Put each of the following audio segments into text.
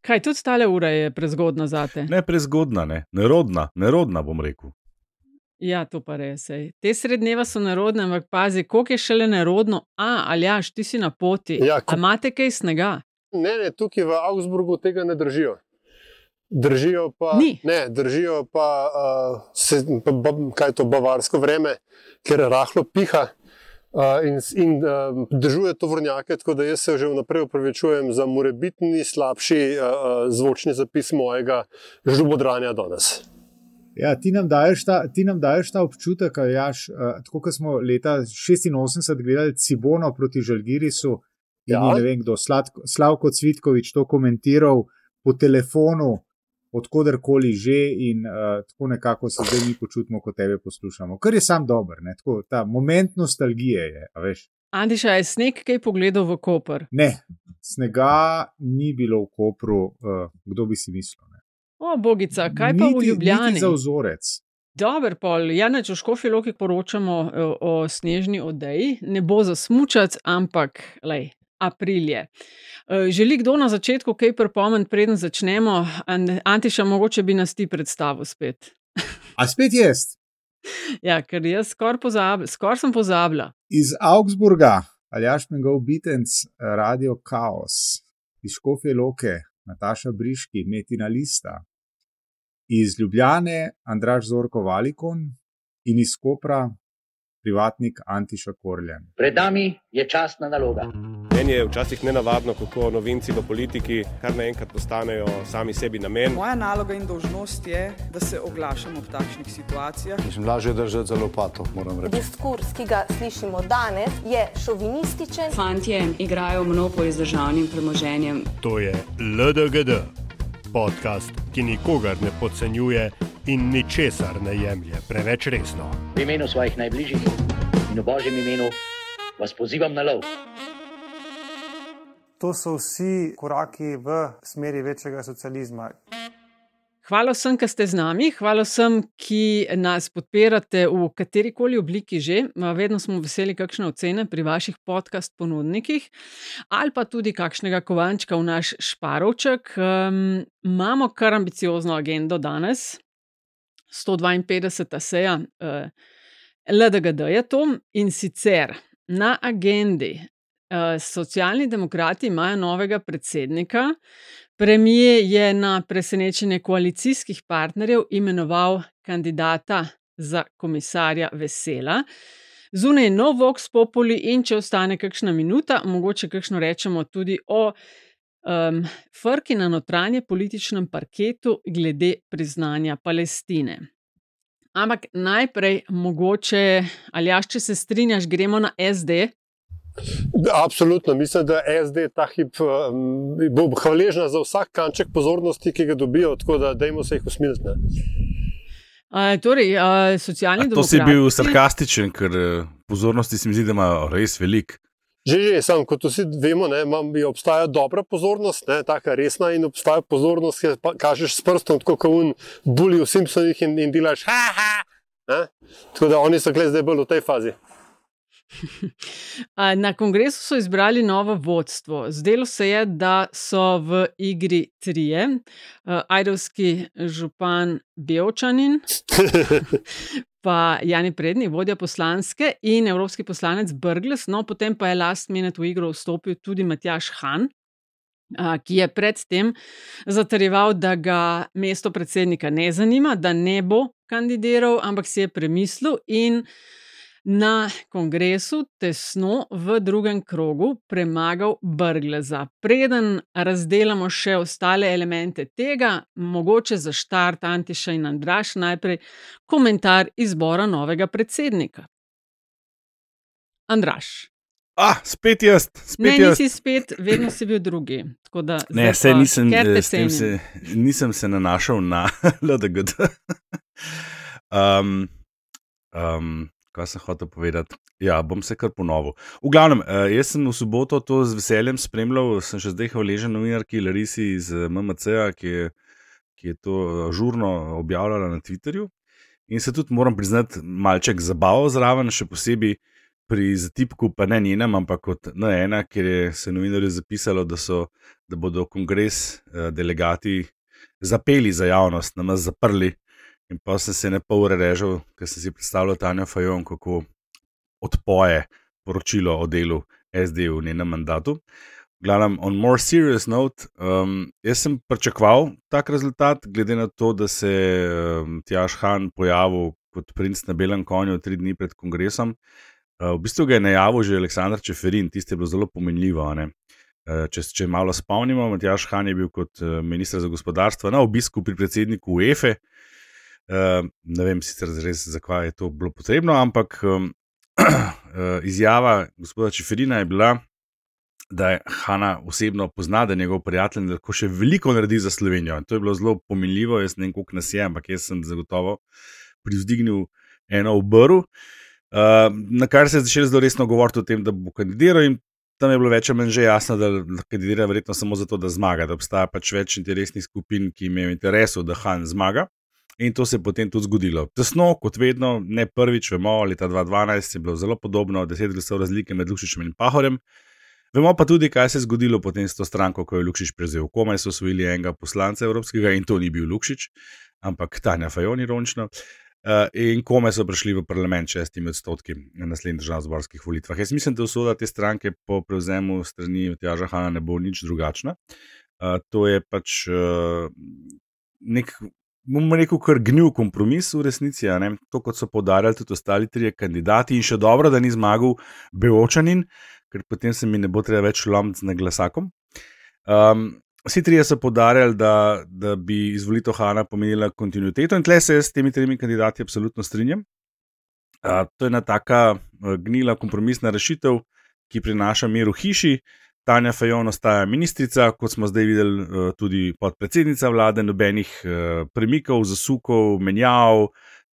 Kaj, tudi tale ura je prezgodna zate? Ne prezgodna, ne. Nerodna bom rekel. Ja, to pa res. Te srednjeva so nerodne, ampak pazi, koliko je šele nerodno. Aljaž, ti si na poti. Ja, A imate kaj snega? Ne, tukaj v Augsburgu tega ne držijo. Držijo pa, Ni. ne, držijo pa, kaj je to bavarsko vreme, ker rahlo piha in držuje tovornjake, tako da jaz se že vnaprej opravičujem za morebitni slabši zvočni zapis mojega žlobodranja danes. Ja, ti nam daješ ta občutek, Aljaž, tako kot smo leta 86 gledali Cibono proti Žalgirisu in ne vem kdo, Slavko Cvitkovič to komentiral po telefonu, odkoderkoli že in tako nekako se zdaj mi počutimo, ko tebe poslušamo. Kar je sam dober, ne? Tako, ta moment nostalgije je, a veš. Antiša, je sneg kaj pogledal v Koper? Ne, snega ni bilo v Kopru, kdo bi si mislil, ne? O, bogica, kaj pa v Ljubljani? Niti za vzorec. Dober, pol, Janeč, v Škofji Loki poročamo o snežni odeji. Ne bo za smučac, ampak, april je. Želi kdo na začetku kaj pripomniti, preden začnemo? Antiša, mogoče bi nas ti predstavil spet. A spet jaz? Ja, ker jaz skoraj sem pozabila. Iz Augsburga, Aljaž Mengov Bitenc, Radio Kaos, iz Škofje Loke, Nataša Briški, Metina Lista, iz Ljubljane, Andraž Zorko Valikon in iz Kopra, privatnik Antiša Korljan. Pred nami je častna naloga. Meni je včasih nenavadno, kako novinci v politiki kar naenkrat postanejo sami sebi namen. Moja naloga in dolžnost je, da se oglašam ob takšnih situacijah. Mislim, lažje držati za lopato, moram reči. Diskurs, ki ga slišimo danes, je šovinističen. Fantje igrajo monopolio z državnim premoženjem. To je LDGD, podcast, ki nikogar ne podcenjuje in ničesar ne jemlje preveč resno. V imenu svojih najbližjih in v Božjem imenu vas pozivam na lov. To so vsi koraki v smeri večjega socializma. Hvala vsem, ki ste z nami, hvala vsem, ki nas podpirate v katerikoli obliki že. Vedno smo veseli kakšne ocene pri vaših podcast ponudnikih ali pa tudi kakšnega kovančka v naš šparovček. Imamo kar ambiciozno agendo danes, 152. seja LDGD je to in sicer na agendi Socialni demokrati imajo novega predsednika. Premier je na presenečenje koalicijskih partnerjev imenoval kandidata za komisarja Vesela. Zunaj je nov Vox Populi in če ostane kakšna minuta, mogoče kakšno rečemo tudi o frki na notranje političnem parketu glede priznanja Palestine. Ampak najprej mogoče, Aljaž, če se strinjaš, gremo na SD. Absolutno, mislim, da SD ta hip bo hvaležna za vsak kanček pozornosti, ki ga dobijo, tako da dajmo se jih usmiliti. Socialni demokrati... To si bil sarkastičen, ker pozornosti se mi zdi, da imajo res veliko. Že, samo kot vsi vemo, obstaja dobra pozornost, taka resna, in obstaja pozornost, ki kažeš s prstom, tako kot un bully v Simpsonih in delaš ha. Tako da oni so zdaj bolj v tej fazi. Na kongresu so izbrali novo vodstvo. Zdelo se je, da so v igri trije. Ajdovski župan Bevčanin, pa Jani Prednik, vodja poslanske, in evropski poslanec Brglez. No, potem pa je last minute v igro vstopil tudi Matjaž Han, ki je predtem zatrjeval, da ga mesto predsednika ne zanima, da ne bo kandidiral, ampak si je premislil in na kongresu tesno v drugem krogu premagal Brgleza. Preden razdelamo še ostale elemente tega, mogoče za štart Antiša in Andraž najprej komentar izbora novega predsednika. Andraž. Spet jaz. Nisi spet, vedno si bil drugi. Ne, nisem se nanašal na LDGD. Kaj sem hotel povedati? Ja, bom se kar ponovil. V glavnem, jaz sem v soboto to z veseljem spremljal, sem še zdaj hvaležen novinarki Larisi iz MMC-a, ki je to žurno objavljala na Twitterju. In se tudi moram priznati malček zabaval zraven, še posebej, pri zatipku pa ne njenem, ampak kot N1, kjer je se novinarju zapisalo, da bodo kongres delegati zapeli za javnost, nas zaprli. In pa sem se ne pol ure režal, ker sem si predstavljal Tanjo Fajon, kako odpoje poročilo o delu SD v njenem mandatu. Glavnem, on more serious note, jaz sem pričakoval tak rezultat, glede na to, da se Tjaž Han pojavil kot princ na belem konju 3 dni pred kongresom. V bistvu ga je najavil že Aleksandar Čeferin, tiste je bilo zelo pomenljivo. Če malo spomnimo, Tjaž Han je bil kot minister za gospodarstvo na obisku pri predsedniku UEFA. Ne vem sicer res, zakaj je to bilo potrebno, ampak izjava gospoda Čeferina je bila, da je Hana osebno pozna, da je njegov prijatelj in da lahko še veliko naredi za Slovenijo. In to je bilo zelo pomenljivo, jaz ne vem, koliko nas je, ampak jaz sem zagotovo privzdignil eno obrv, na kar se je začelo zelo resno govoriti o tem, da bo kandidiral in tam je bilo več ali manj že jasno, da kandidira verjetno samo zato, da zmaga, da obstaja pač več interesnih skupin, ki imajo interesu, da Han zmaga. In to se je potem tudi zgodilo. Tesno, kot vedno, ne prvič, vemo, leta 2012 je bilo zelo podobno, 10 glasov razlike med Lukšičem in Pahorjem. Vemo pa tudi, kaj se je zgodilo potem s to stranko, ko je Lukšič prevzel. Komaj so osvojili enega poslanca evropskega in to ni bil Lukšič, ampak Tanja Fajon ironično. In komaj so prišli v parlament 6% na naslednjih državnozborskih volitvah. Jaz mislim, da usoda te stranke po prevzemu strani Tjaža Hana ne bo nič drugačna. To je pač nek, bomo rekel, kar gnil kompromis v resnici, to kot so poudarjali tudi ostali 3 kandidati in še dobro, da ni zmagal Beočanin, ker potem se mi ne bo treba več lomiti z naglasakom. Vsi 3 so poudarjali, da bi izvolitev Hana pomenila kontinuiteto in tle se s temi 3 kandidati absolutno strinjam. To je ena taka gnila kompromisna rešitev, ki prinaša mir v hiši. Tanja Fajon ostaja ministrica, kot smo zdaj videli tudi podpredsednica vlade, nobenih premikov, zasukov, menjav,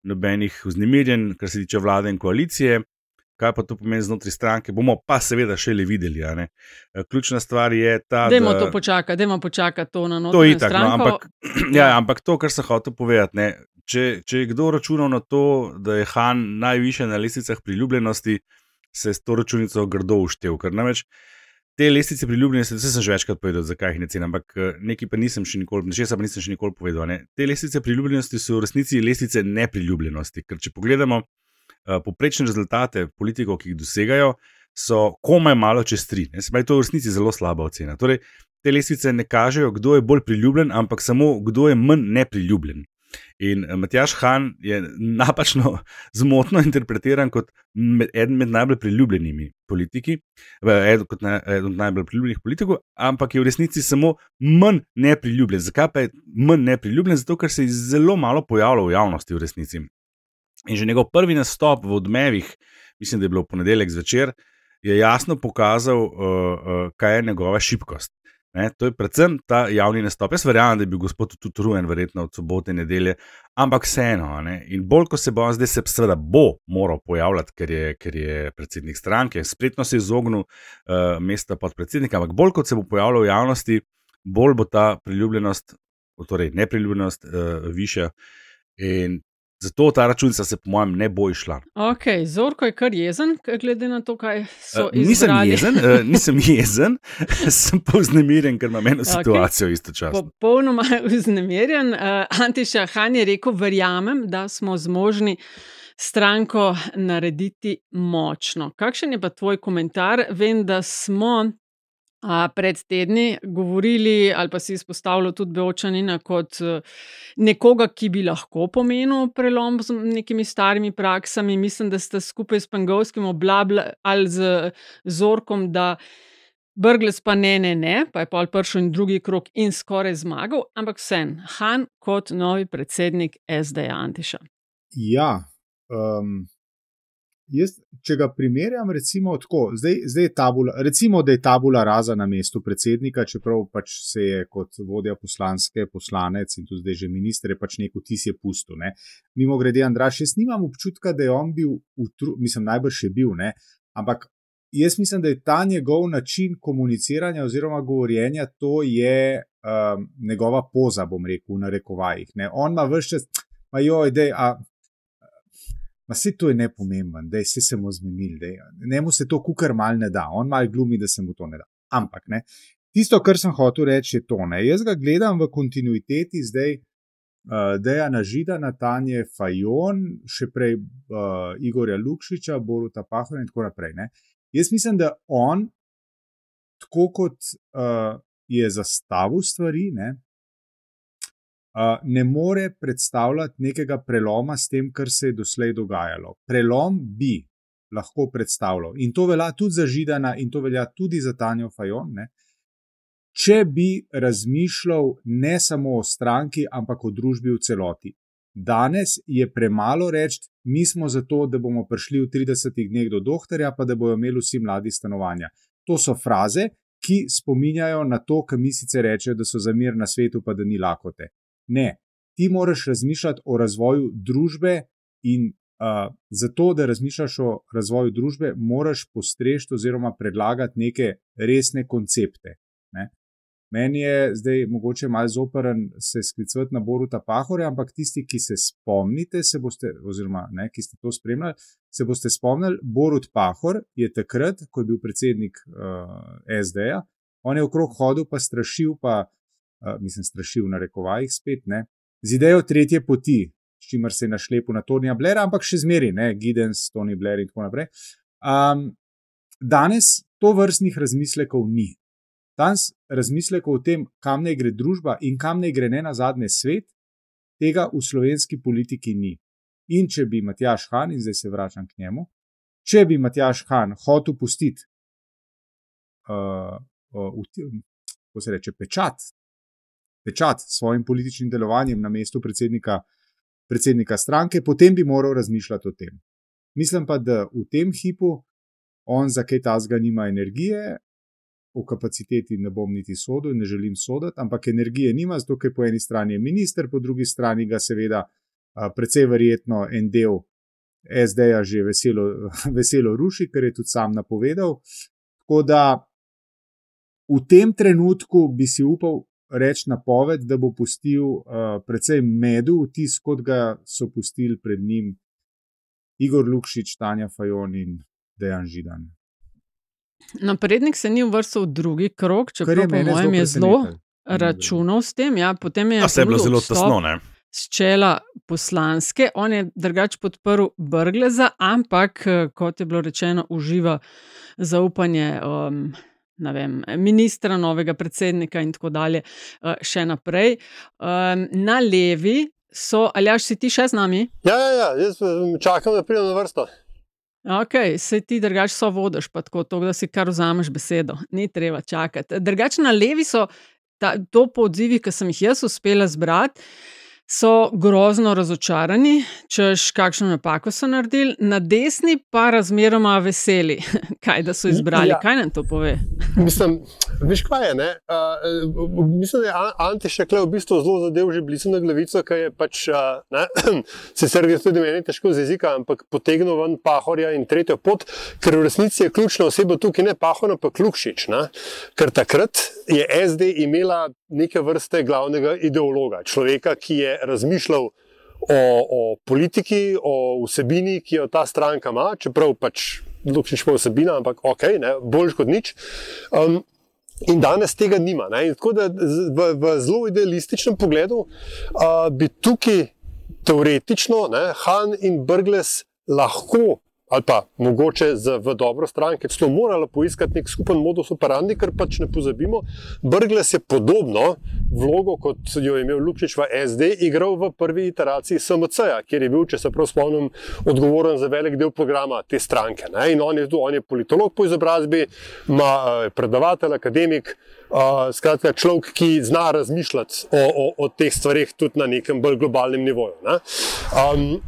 nobenih vznemirjenj, kar se tiče vlade in koalicije. Kaj pa to pomeni znotraj stranke, bomo pa seveda šele videli. Ključna stvar je ta, dajmo počakati to na notranjo stranko. Ampak to, kar sem hotel povedati, če je kdo računal na to, da je Han najvišje na lestvicah priljubljenosti, se je s to računico grdo uštel, ker namreč te lestvice priljubljenosti, vse sem že večkrat povedal, zakaj jih ne cenim, ampak nekaj pa nisem še nikoli povedal. Te lestvice priljubljenosti so v resnici lestvice nepriljubljenosti, ker če pogledamo povprečne rezultate politikov, ki jih dosegajo, so komaj malo čez 3. Se pravi, to je v resnici zelo slaba ocena. Torej, te lestvice ne kažejo, kdo je bolj priljubljen, ampak samo kdo je manj nepriljubljen. In Matjaž Han je napačno, zmotno interpretiran kot eden med najbolj priljubljenimi politiki, kot eden od najbolj priljubljenih politikov, ampak je v resnici samo manj nepriljubljen. Zakaj pa je manj nepriljubljen? Zato, ker se je zelo malo pojavljal v javnosti v resnici. In že njegov prvi nastop v Odmevih, mislim, da je bilo v ponedeljek zvečer, je jasno pokazal, kaj je njegova šibkost. To je predvsem ta javni nastop. Jaz verjamem, da je bil gospod tudi utrujen, verjetno od sobote in nedelje, ampak vseeno. In bolj, ko se bo zdaj se seveda bo moral pojavljati, ker je predsednik stranke, spretno se je izognil mesta podpredsednika, ampak bolj, kot se bo pojavljal v javnosti, bolj bo ta priljubljenost, torej nepriljubljenost višja. In zato ta računica se po mojem ne bo išla. Ok, Zorko je kar jezen, glede na to, kaj so izbrali. Nisem jezen, sem pa vznemirjen, ker imam eno situacijo istočasno. Popolnoma vznemirjen. Antiša Han je rekel, verjamem, da smo zmožni stranko narediti močno. Kakšen je pa tvoj komentar? Vem, da smo pred tedni govorili ali pa si izpostavljal tudi Beočanina kot nekoga, ki bi lahko pomenil prelom z nekimi starimi praksami. Mislim, da ste skupaj s Pengovskim ali z Zorkom, da Brglez pa ne, pa je pol prišel in drugi krog in skoraj zmagal, ampak vsem, Han kot novi predsednik SD-ja, Antiša. Ja, jaz, če ga primerjam, recimo tako, zdaj je recimo, da je tabula rasa na mestu predsednika, čeprav pač se je kot vodja poslanec in tudi zdaj že minister je pač nek vtis je pustil. Mimo grede, Andraž, jaz nimam občutka, da je on bil, mislim, najbrž je bil, ampak jaz mislim, da je ta njegov način komuniciranja oziroma govorjenja, to je njegova poza, bom rekel, v narekovajih. On ima ves čas, Vse to je nepomemben, da se bomo zmenili. Njemu se to kukar mal ne da, on mal glumi, da se mu to ne da. Ampak ne. Tisto, kar sem hotel reči, je to. Ne. Jaz ga gledam v kontinuiteti zdaj Dejana Židana, Tanje Fajon, še prej Igorja Lukšiča, Boruta Pahorja in tako naprej. Ne. Jaz mislim, da on, tako kot je zastavil stvari, ne more predstavljati nekega preloma s tem, kar se je doslej dogajalo. Prelom bi lahko predstavljal. In to velja tudi za Židana in to velja tudi za Tanjo Fajon, če bi razmišljal ne samo o stranki, ampak o družbi v celoti. Danes je premalo reči, mi smo za to, da bomo prišli v 30 dneh do doktorja, pa da bojo imeli vsi mladi stanovanja. To so fraze, ki spominjajo na to, kar mi sicer rečejo, da so za mir na svetu, pa da ni lakote. Ne, ti moraš razmišljati o razvoju družbe in zato, da razmišljaš o razvoju družbe, moraš postrežiti oziroma predlagati neke resne koncepte. Ne? Meni je zdaj mogoče malo zoprn se sklicovati na Boruta Pahorja, ampak tisti, ki se spomnite, oziroma ki ste to spremljali, se boste spomnili, Borut Pahor je takrat, ko je bil predsednik SD-ja, on je okrog hodil pa strašil, strašil na rekovajih spet, z idejo tretje poti, s čimer se je našlepil na Tonija Blaira, ampak še zmeri, Giddens, Tony Blair in tako naprej. Danes to vrstnih razmislekov ni. Danes razmislekov o tem, kam naj gre družba in kam naj gre nenazadnje svet, tega v slovenski politiki ni. In če bi Matjaž Han, in zdaj se vračam k njemu, če bi Matjaž Han hotel pustiti pečat s svojim političnim delovanjem na mestu predsednika stranke, potem bi moral razmišljati o tem. Mislim pa, da v tem hipu on za kaj tazga nima energije, o kapaciteti ne bom niti sodil, ne želim soditi, ampak energije nima, zato ker po eni strani je minister, po drugi strani ga seveda precej verjetno en del SD-ja že veselo ruši, ker je tudi sam napovedal. Tako da v tem trenutku bi si upal reči napoved, da bo pustil precej medu vtis, kot ga so pustili pred njim Igor Lukšič, Tanja Fajon in Dejan Židan. Naprednik se ni uvrstil v drugi krog, čeprav po mojem je zelo računal s tem. Ja, potem je bilo zelo tesno, s čela poslanske. On je drugače podprl Brgleza, ampak, kot je bilo rečeno, uživa zaupanje ministra, novega predsednika in tako dalje še naprej. Na levi so, Aljaž, si ti še z nami? Ja, jaz čakam, da pridem na vrsto. Ok, saj ti drugače so vodiš, pa tako, da si kar vzameš besedo. Ni treba čakati. Drugače na levi so, to po odzivih, ki sem jih jaz uspela zbrati, so grozno razočarani, češ kakšno napako so naredili, na desni pa razmeroma veseli, kaj da so izbrali. Kaj nam to pove? Mislim, veš kaj je, mislim, da je Ante Šekle v bistvu zelo zadev že blizu na glavico, ki je pač, sicer je tudi meni težko z jezika, ampak potegnil ven Pahorja in tretjo pot, ker v resnici je ključna oseba tukaj ne Pahor, ampak Lukšič, ker takrat je SD imela neke vrste glavnega ideologa, človeka, ki je razmišljal o politiki, o vsebini, ki jo ta stranka ima, čeprav pač Lukšič pa vsebina, ampak ok, boljš kot nič. In danes tega nima. In tako da v zelo idealističnem pogledu bi tukaj teoretično Han in Brglez lahko, ali pa mogoče v dobro stranke, celo morala poiskati nek skupen modus operandi, ker pač ne pozabimo, Brglez je podobno vlogo, kot jo je imel Lukšič v SD, igral v prvi iteraciji SMC-ja, kjer je bil, če se prav spomnim, odgovoren za velik del programa te stranke. In on je politolog po izobrazbi, ima predavatelj, akademik, skratka človek, ki zna razmišljati o teh stvarih tudi na nekem bolj globalnem nivoju.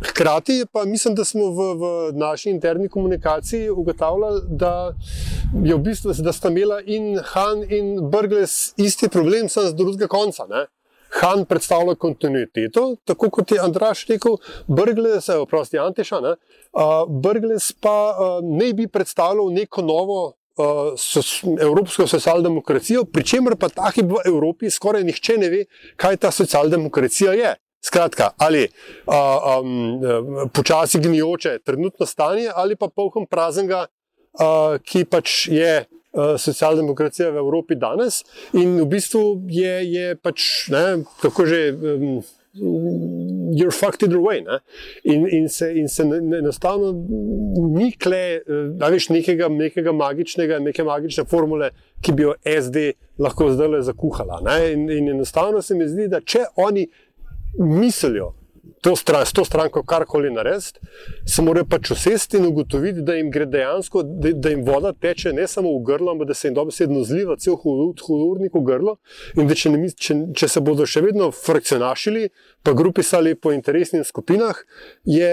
Hkrati pa mislim, da smo v naši interni komunikaciji ugotavljali, da je v bistvu, da sta imela in Han in Brglez isti problem, samo z drugega konca. Han predstavlja kontinuiteto, tako kot je Andraž rekel, Brglez, Anteša, Brglez pa ne bi predstavljal neko novo evropsko socialdemokracijo, pri čemer pa taki v Evropi skoraj nihče ne ve, kaj ta socialdemokracija je. Skratka, ali počasi gnijoče trenutno stanje, ali pa polkom praznega, ki pač je socialdemokracija v Evropi danes in v bistvu je pač, ne, kako že, you're fucked either way, ne? In se enostavno ni veš, nekega magičnega, neke magične formule, ki bi jo SD lahko zdajle zakuhala, ne? In enostavno se mi zdi, da če oni mislijo s to stranko karkoli narediti, se morajo pač usesti in ugotoviti, da jim gre dejansko, da jim voda teče ne samo v grlo, ampak da se jim dobesedno zliva cel hudournik v grlo in da če se bodo še vedno frakcionašili, pa grupisali po interesnih skupinah, je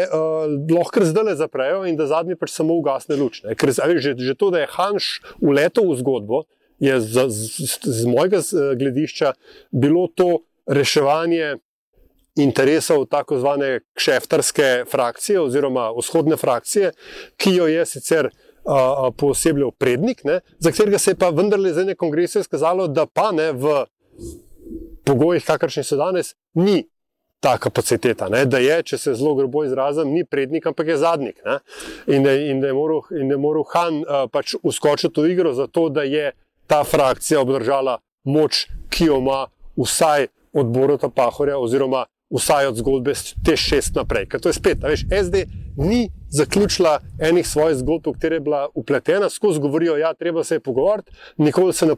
lahko zdajle zaprejo in da zadnji pač samo ugasne luč. Ne? Ker že to, da je Hanš uletel v zgodbo, je z mojega gledišča bilo to reševanje interesov tako zvane kšeftarske frakcije oziroma vzhodne frakcije, ki jo je sicer poosebljal Prednik, ne, za katerega se je pa vendarle za ene kongrese izkazalo, da pa ne v pogojih, kakršni so danes, ni ta kapaciteta, ne, da je, če se zelo grobo izrazim, ni Prednik, ampak je Zadnik. Ne, in da je moral Han pač uskočiti v igro za to, da je ta frakcija obdržala moč, ki jo ima vsaj od Boruta Pahorja oziroma vsaj od zgodbe te 6 naprej. Ker to je spet, veš, SD ni zaključila enih svojih zgodb, v katere je bila upletena, skozi govorijo, ja, treba se je pogovoriti, nikoli se ne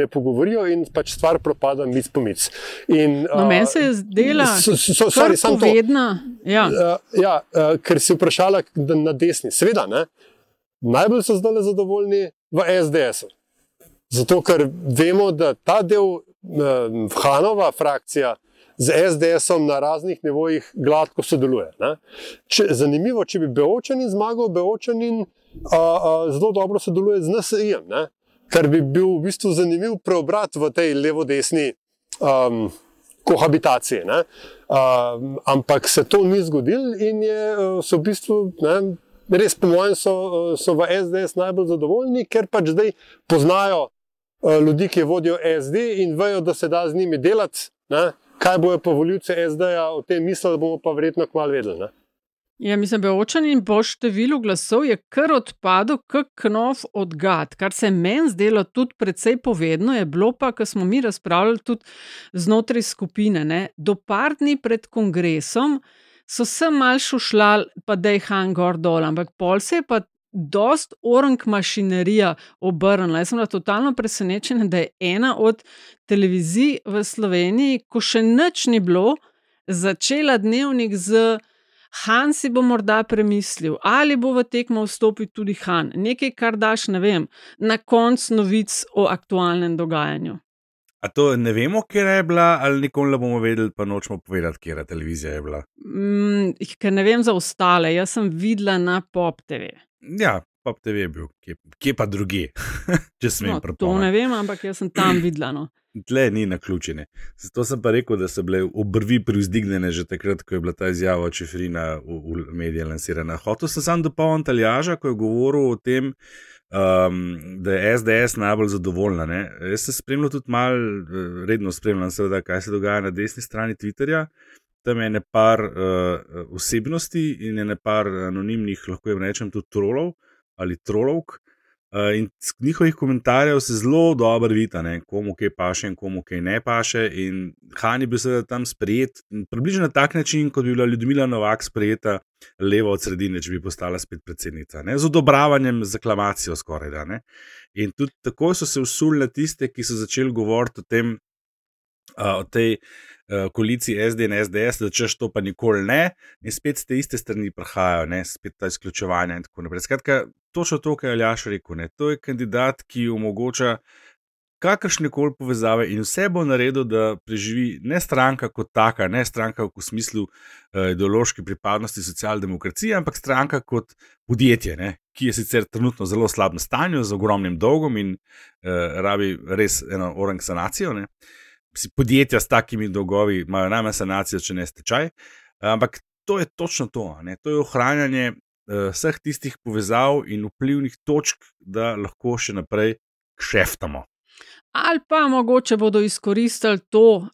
pogovorijo in pač stvar propada mic po mic. No, meni se je zdela kar povedna. Ker si vprašala na desni. Seveda, ne, najbolj so zdaj zadovoljni v SDS-u. Zato, ker vemo, da ta del Hanova frakcija z SDS-om na raznih nivojih gladko sodeluje. Ne? Zanimivo, če bi Beočanin zmagal, Beočanin zelo dobro sodeluje z NSI-jem, ne? Kar bi bil v bistvu zanimiv preobrat v tej levo-desni kohabitaciji. Ne? Ampak se to ni zgodilo in so v bistvu, ne, res po mojem so v SDS najbolj zadovoljni, ker pač zdaj poznajo ljudi, ki vodijo SD in vejo, da se da z njimi delati, ne? Kaj bojo pa volivci SD-ja o tem mislili, bomo pa verjetno kmalu vedeli. Ne? Ja, mislim, Beočanin po številu glasov je kar odpadel kak knov od gad, kar se meni zdelo tudi precej povedno, je bilo pa, ko smo mi razpravljali tudi znotraj skupine, ne? Do par dni pred kongresom so se mal šušljali, pa da je Han gor dol, ampak pol se je pa dost orang mašinerija obrnila. Jaz sem bila totalno presenečena, da je ena od televizij v Sloveniji, ko še nič ni bilo, začela dnevnik z Han si bo morda premislil, ali bo v tekmo vstopil tudi Han. Nekaj, kar daš, ne vem, na konc novic o aktualnem dogajanju. A to ne vemo, kje je bila, ali nikoli ne bomo vedeli, pa nočemo povedati, kje televizija je bila? Ker ne vem za ostale, jaz sem videla na Pop TV. Ja, Pop TV je bil, kje pa druge, če smem prepovedati. To ne vem, ampak jaz sem tam videla. No. Tle ni naključene. Zato sem pa rekel, da so bile obrvi privzdignjene že takrat, ko je bila ta izjava od Čeferina v medije lansirana. Hotel sem sam dopolniti Aljaža, ko je govoril o tem, da je SDS najbolj zadovoljna. Ne? Jaz sem spremljal tudi malo, redno spremljam seveda, kaj se dogaja na desni strani Twitterja. Tam je par osebnosti in je par anonimnih, lahko jim rečem, tudi trolov ali trolovk. In z njihovih komentarjev se zelo dobro vidi, komu kaj paše in komu kaj ne paše. In Han je bil seveda tam sprejet, približno na tak način, kot bi bila Ljudmila Novak sprejeta levo od sredine, če bi postala spet predsednica. Ne? Z odobravanjem, z aklamacijo skoraj. Da, ne? In tudi tako so se usuli na tiste, ki so začeli govoriti o tej koaliciji SD in SDS, da češ to pa nikoli ne, in spet z te iste strani prihajajo, ne, spet ta izključevanja in tako naprej. Skratka, točno to, kar je Aljaž rekel, ne, to je kandidat, ki omogoča kakršnekoli povezave in vse bo naredil, da preživi ne stranka kot taka, ne stranka v smislu ideološke pripadnosti socialdemokracije, ampak stranka kot podjetje, ne, ki je sicer trenutno zelo slabem stanju, z ogromnim dolgom in rabi res eno orang sanacijo, ne. Podjetja s takimi dolgovi imajo najmanj sanacijo, če ne stečaj, ampak to je točno to, ne? To je ohranjanje vseh tistih povezav in vplivnih točk, da lahko še naprej kšeftamo. Ali pa mogoče bodo izkoristili to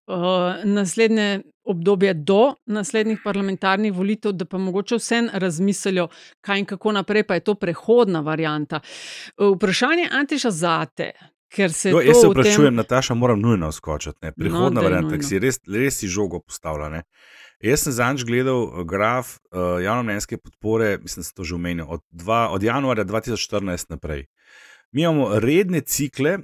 naslednje obdobje do naslednjih parlamentarnih volitev, da pa mogoče vsem razmislijo, kaj in kako naprej, pa je to prehodna varianta. Vprašanje, Antiša, zate, ker se to jaz se vprašujem, Nataša, moram nujno skočiti. Prehodna varianta, ki si res si žogo postavlja. Ne? Jaz sem zadnjič gledal graf javnomnenjske podpore, mislim, da sem to že omenil, od januarja 2014 naprej. Mi imamo redne cikle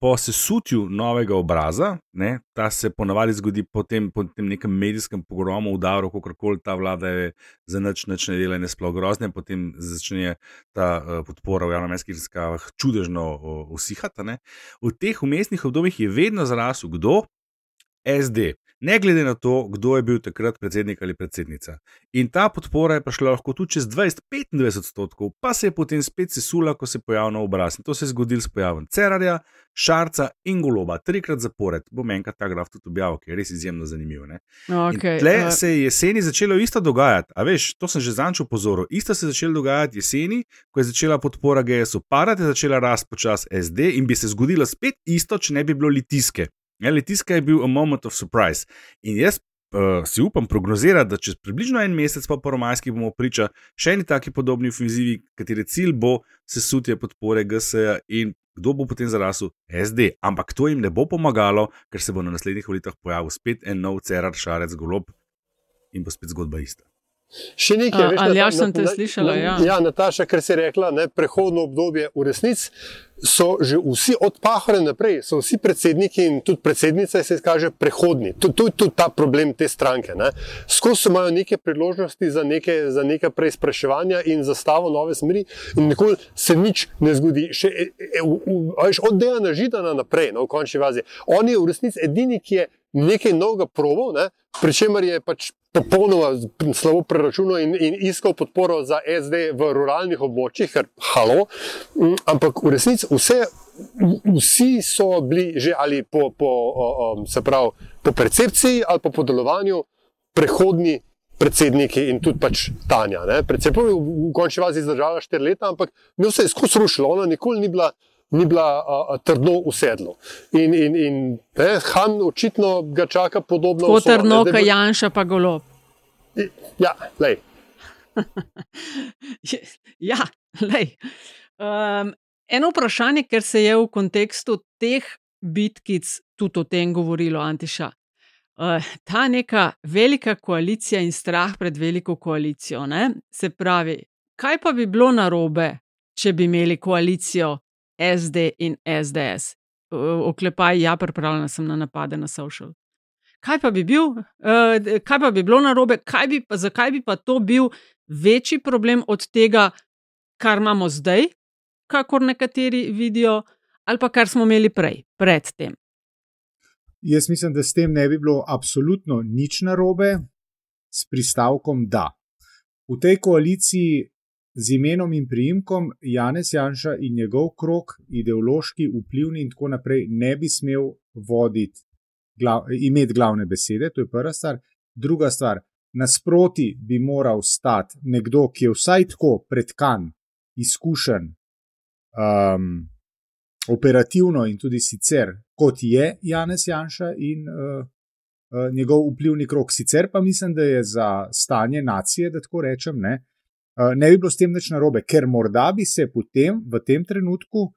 po sesutju novega obraza, ne, ta se ponavadi zgodi po tem nekem medijskem pogromu, udaru, kakorkoli ta vlada je za nič ne dela in je sploh grozne, potem začne ta podpora v javnomnenjskih raziskavah čudežno usihati. Ne. V teh vmesnih obdobjih je vedno zrasel kdo? SD. Ne glede na to, kdo je bil takrat predsednik ali predsednica. In ta podpora je prišla lahko tudi čez 20-25%, pa se je potem spet sesula, ko se je pojavil nov obraz. In to se je zgodilo s pojavom Cerarja, Šarca in Goloba. 3-krat zapored. Bom enkrat ta graf tudi objavil, ki je res izjemno zanimiv. Okay, in tle se je jeseni začelo isto dogajati. A veš, to sem že zanč upozoril. Isto se je začelo dogajati jeseni, ko je začela podpora GS-u padati, je začela rast počas SD in bi se zgodilo spet isto, če ne bi bilo Litijske. Litijska je bil a moment of surprise. In jaz si upam prognozirati, da čez približno en mesec po romajskih bomo priča še eni taki podobni ofenzivi, katere cilj bo sesutje podpore GS-ja in kdo bo potem zarasel? SD. Ampak to jim ne bo pomagalo, ker se bo na naslednjih volitvah pojavil spet en nov Cerar, Šarec, Golob in bo spet zgodba ista. Še nekaj, veš, Aljaž, sem te slišala, ja, Nataša, ker si rekla, prehodno obdobje v resnici so že vsi od Pahorja naprej, so vsi predsedniki in tudi predsednica se kaže prehodni. To je tudi ta problem te stranke. Skozi imajo neke priložnosti za neke preizpraševanja in zastavo nove smeri in nikoli se nič ne zgodi. Od Dejana Židana naprej, v končni fazi. On je v resnici edini, ki je nekaj novega probal, pri čemer je pač popolnoma slabo preračunal in iskal podporo za SD v ruralnih območjih, ker ampak v resnici vsi so bili že ali po percepciji ali po delovanju prehodni predsedniki in tudi pač Tanja. Predvsem v končni fazi izdržala 4 leta, ampak njo se je skozi rušilo, ona nikoli ni bila trdno usedlo. In Han očitno ga čaka podobno usodo. Kot trdno, kaj Janša pa Golob. Ja, lej. Ja, lej. Eno vprašanje, ker se je v kontekstu teh bitkic tudi o tem govorilo, Antiša. Ta neka velika koalicija in strah pred veliko koalicijo. Se pravi, kaj pa bi bilo narobe, če bi imeli koalicijo SD in SDS. Oklepaj, ja, pripravljena sem na napade na social. Kaj pa bi bilo narobe, zakaj bi pa to bil večji problem od tega, kar imamo zdaj, kakor nekateri vidijo, ali pa kar smo imeli pred tem? Jaz mislim, da s tem ne bi bilo absolutno nič narobe, s pristavkom da. V tej koaliciji z imenom in priimkom Janez Janša in njegov krog, ideološki, vplivni in tako naprej, ne bi smel imeti glavne besede, to je prva stvar. Druga stvar, nasproti bi moral stati nekdo, ki je vsaj tako pretkan, izkušen, operativno in tudi sicer, kot je Janez Janša in njegov vplivni krog. Sicer pa mislim, da je za stanje nacije, da tako rečem, ne bi bilo s tem nič narobe, ker morda bi se potem v tem trenutku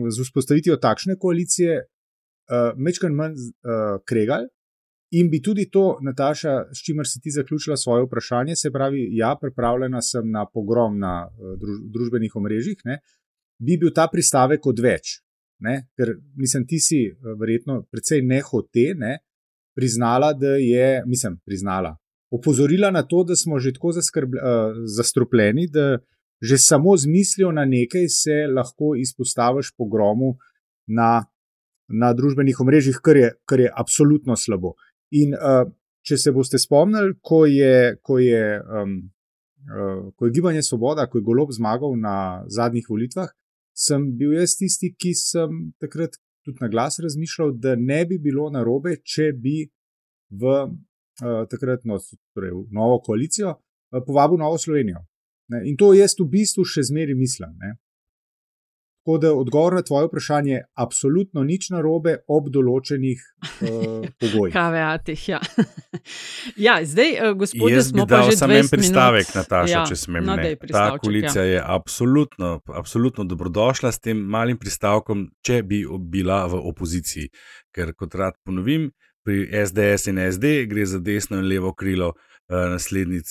z vzpostavitvijo takšne koalicije majčkeno manj kregali in bi tudi to, Nataša, s čimer si ti zaključila svoje vprašanje, se pravi, ja, pripravljena sem na pogrom na družbenih omrežjih, bi bil ta pristavek odveč. Ker mislim, ti si verjetno precej nehote priznala, da je, opozorila na to, da smo že tako zastrupljeni, da že samo z mislijo na nekaj se lahko izpostaviš pogromu na družbenih omrežjih, kar je absolutno slabo. In če se boste spomnili, ko je Gibanje Svoboda, ko je Golob zmagal na zadnjih volitvah, sem bil jaz tisti, ki sem takrat tudi na glas razmišljal, da ne bi bilo narobe, če bi v novo koalicijo povabil Novo Slovenijo. In to jaz v bistvu še zmeraj mislim. Tako da odgovor na tvoje vprašanje je absolutno nič narobe ob določenih pogojih. Kaveatih, ja. Ja, zdaj, gospodje, Jaz bi smo pa dal že samo 20 en pristavek, minut. Nataša, če smem. No, Ne. daj Ta pristavček, koalicija je absolutno dobrodošla s tem malim pristavkom, če bi bila v opoziciji. Ker, kot rad ponovim, pri SDS in SD gre za desno in levo krilo naslednic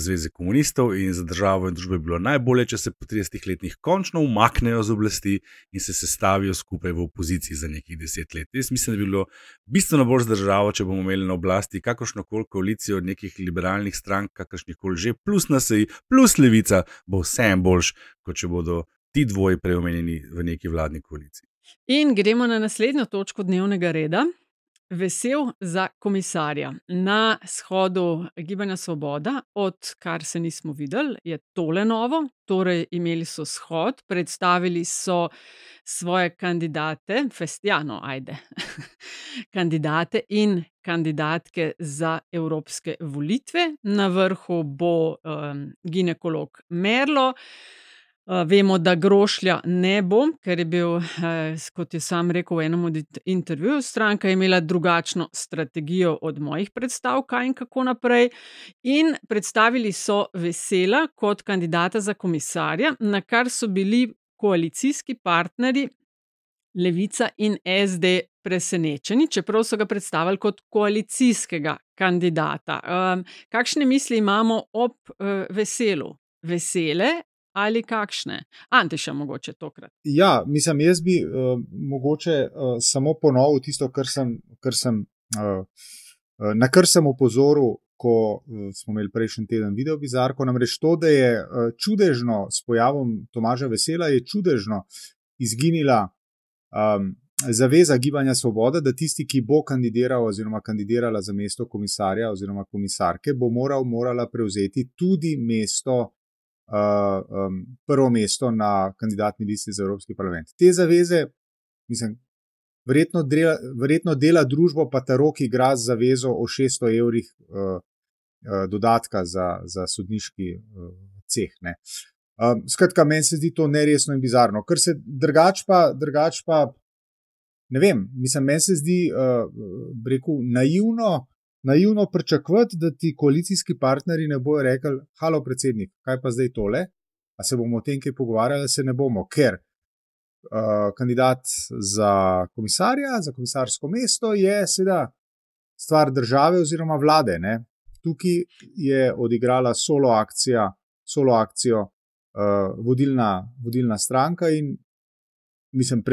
Zveze komunistov in za državo in družbo je bilo najbolje, če se po 30 letih končno umaknejo z oblasti in se sestavijo skupaj v opoziciji za nekih 10 let. Jaz mislim, da bi bilo bistveno bolj za državo, če bomo imeli na oblasti kakršnokoli koalicijo nekih liberalnih strank, kakršnihkoli že, plus NSI, plus Levica, bo vsem boljš, kot če bodo ti dvoji preomenjeni v neki vladni koaliciji. In gremo na naslednjo točko dnevnega reda. Vesel za komisarja. Na shodu Gibanja Svoboda, odkar se nismo videli, je tole novo. Torej, imeli so shod, predstavili so svoje kandidate, kandidate in kandidatke za evropske volitve. Na vrhu bo ginekolog Merlo. Vemo, da Grošlja ne bo, ker je bil, kot je sam rekel v enem od intervjujev, stranka je imela drugačno strategijo od mojih predstav, kaj in kako naprej. In predstavili so Vesela kot kandidata za komisarja, na kar so bili koalicijski partnerji Levica in SD presenečeni, čeprav so ga predstavili kot koalicijskega kandidata. Kakšne misli imamo ob Veselu? Vesele ali kakšne? Antiša mogoče tokrat. Ja, mislim, jaz bi mogoče samo ponovil tisto, na kar sem opozoril, ko smo imeli prejšnji teden video bizarko, namreč to, da je čudežno s pojavom Tomaža Vesela, je čudežno izginila zaveza Gibanja Svoboda, da tisti, ki bo kandidiral oziroma kandidirala za mesto komisarja oziroma komisarke, bo morala prevzeti tudi prvo mesto na kandidatni listi za Evropski parlament. Te zaveze, mislim, verjetno dela družbo pa Tarok igra z zavezo o 600 evrih dodatka za sodniški ceh. Ne. Skratka, meni se zdi to neresno in bizarno. Ker se drugač pa ne vem, mislim, meni se zdi naivno pričakovati, da ti koalicijski partnerji ne bojo rekli: halo predsednik, kaj pa zdaj tole? A se bomo o tem kaj pogovarjali? Se ne bomo, ker kandidat za komisarja, za komisarsko mesto je seveda stvar države oziroma vlade. Ne? Tukaj je odigrala solo akcijo vodilna stranka in mislim,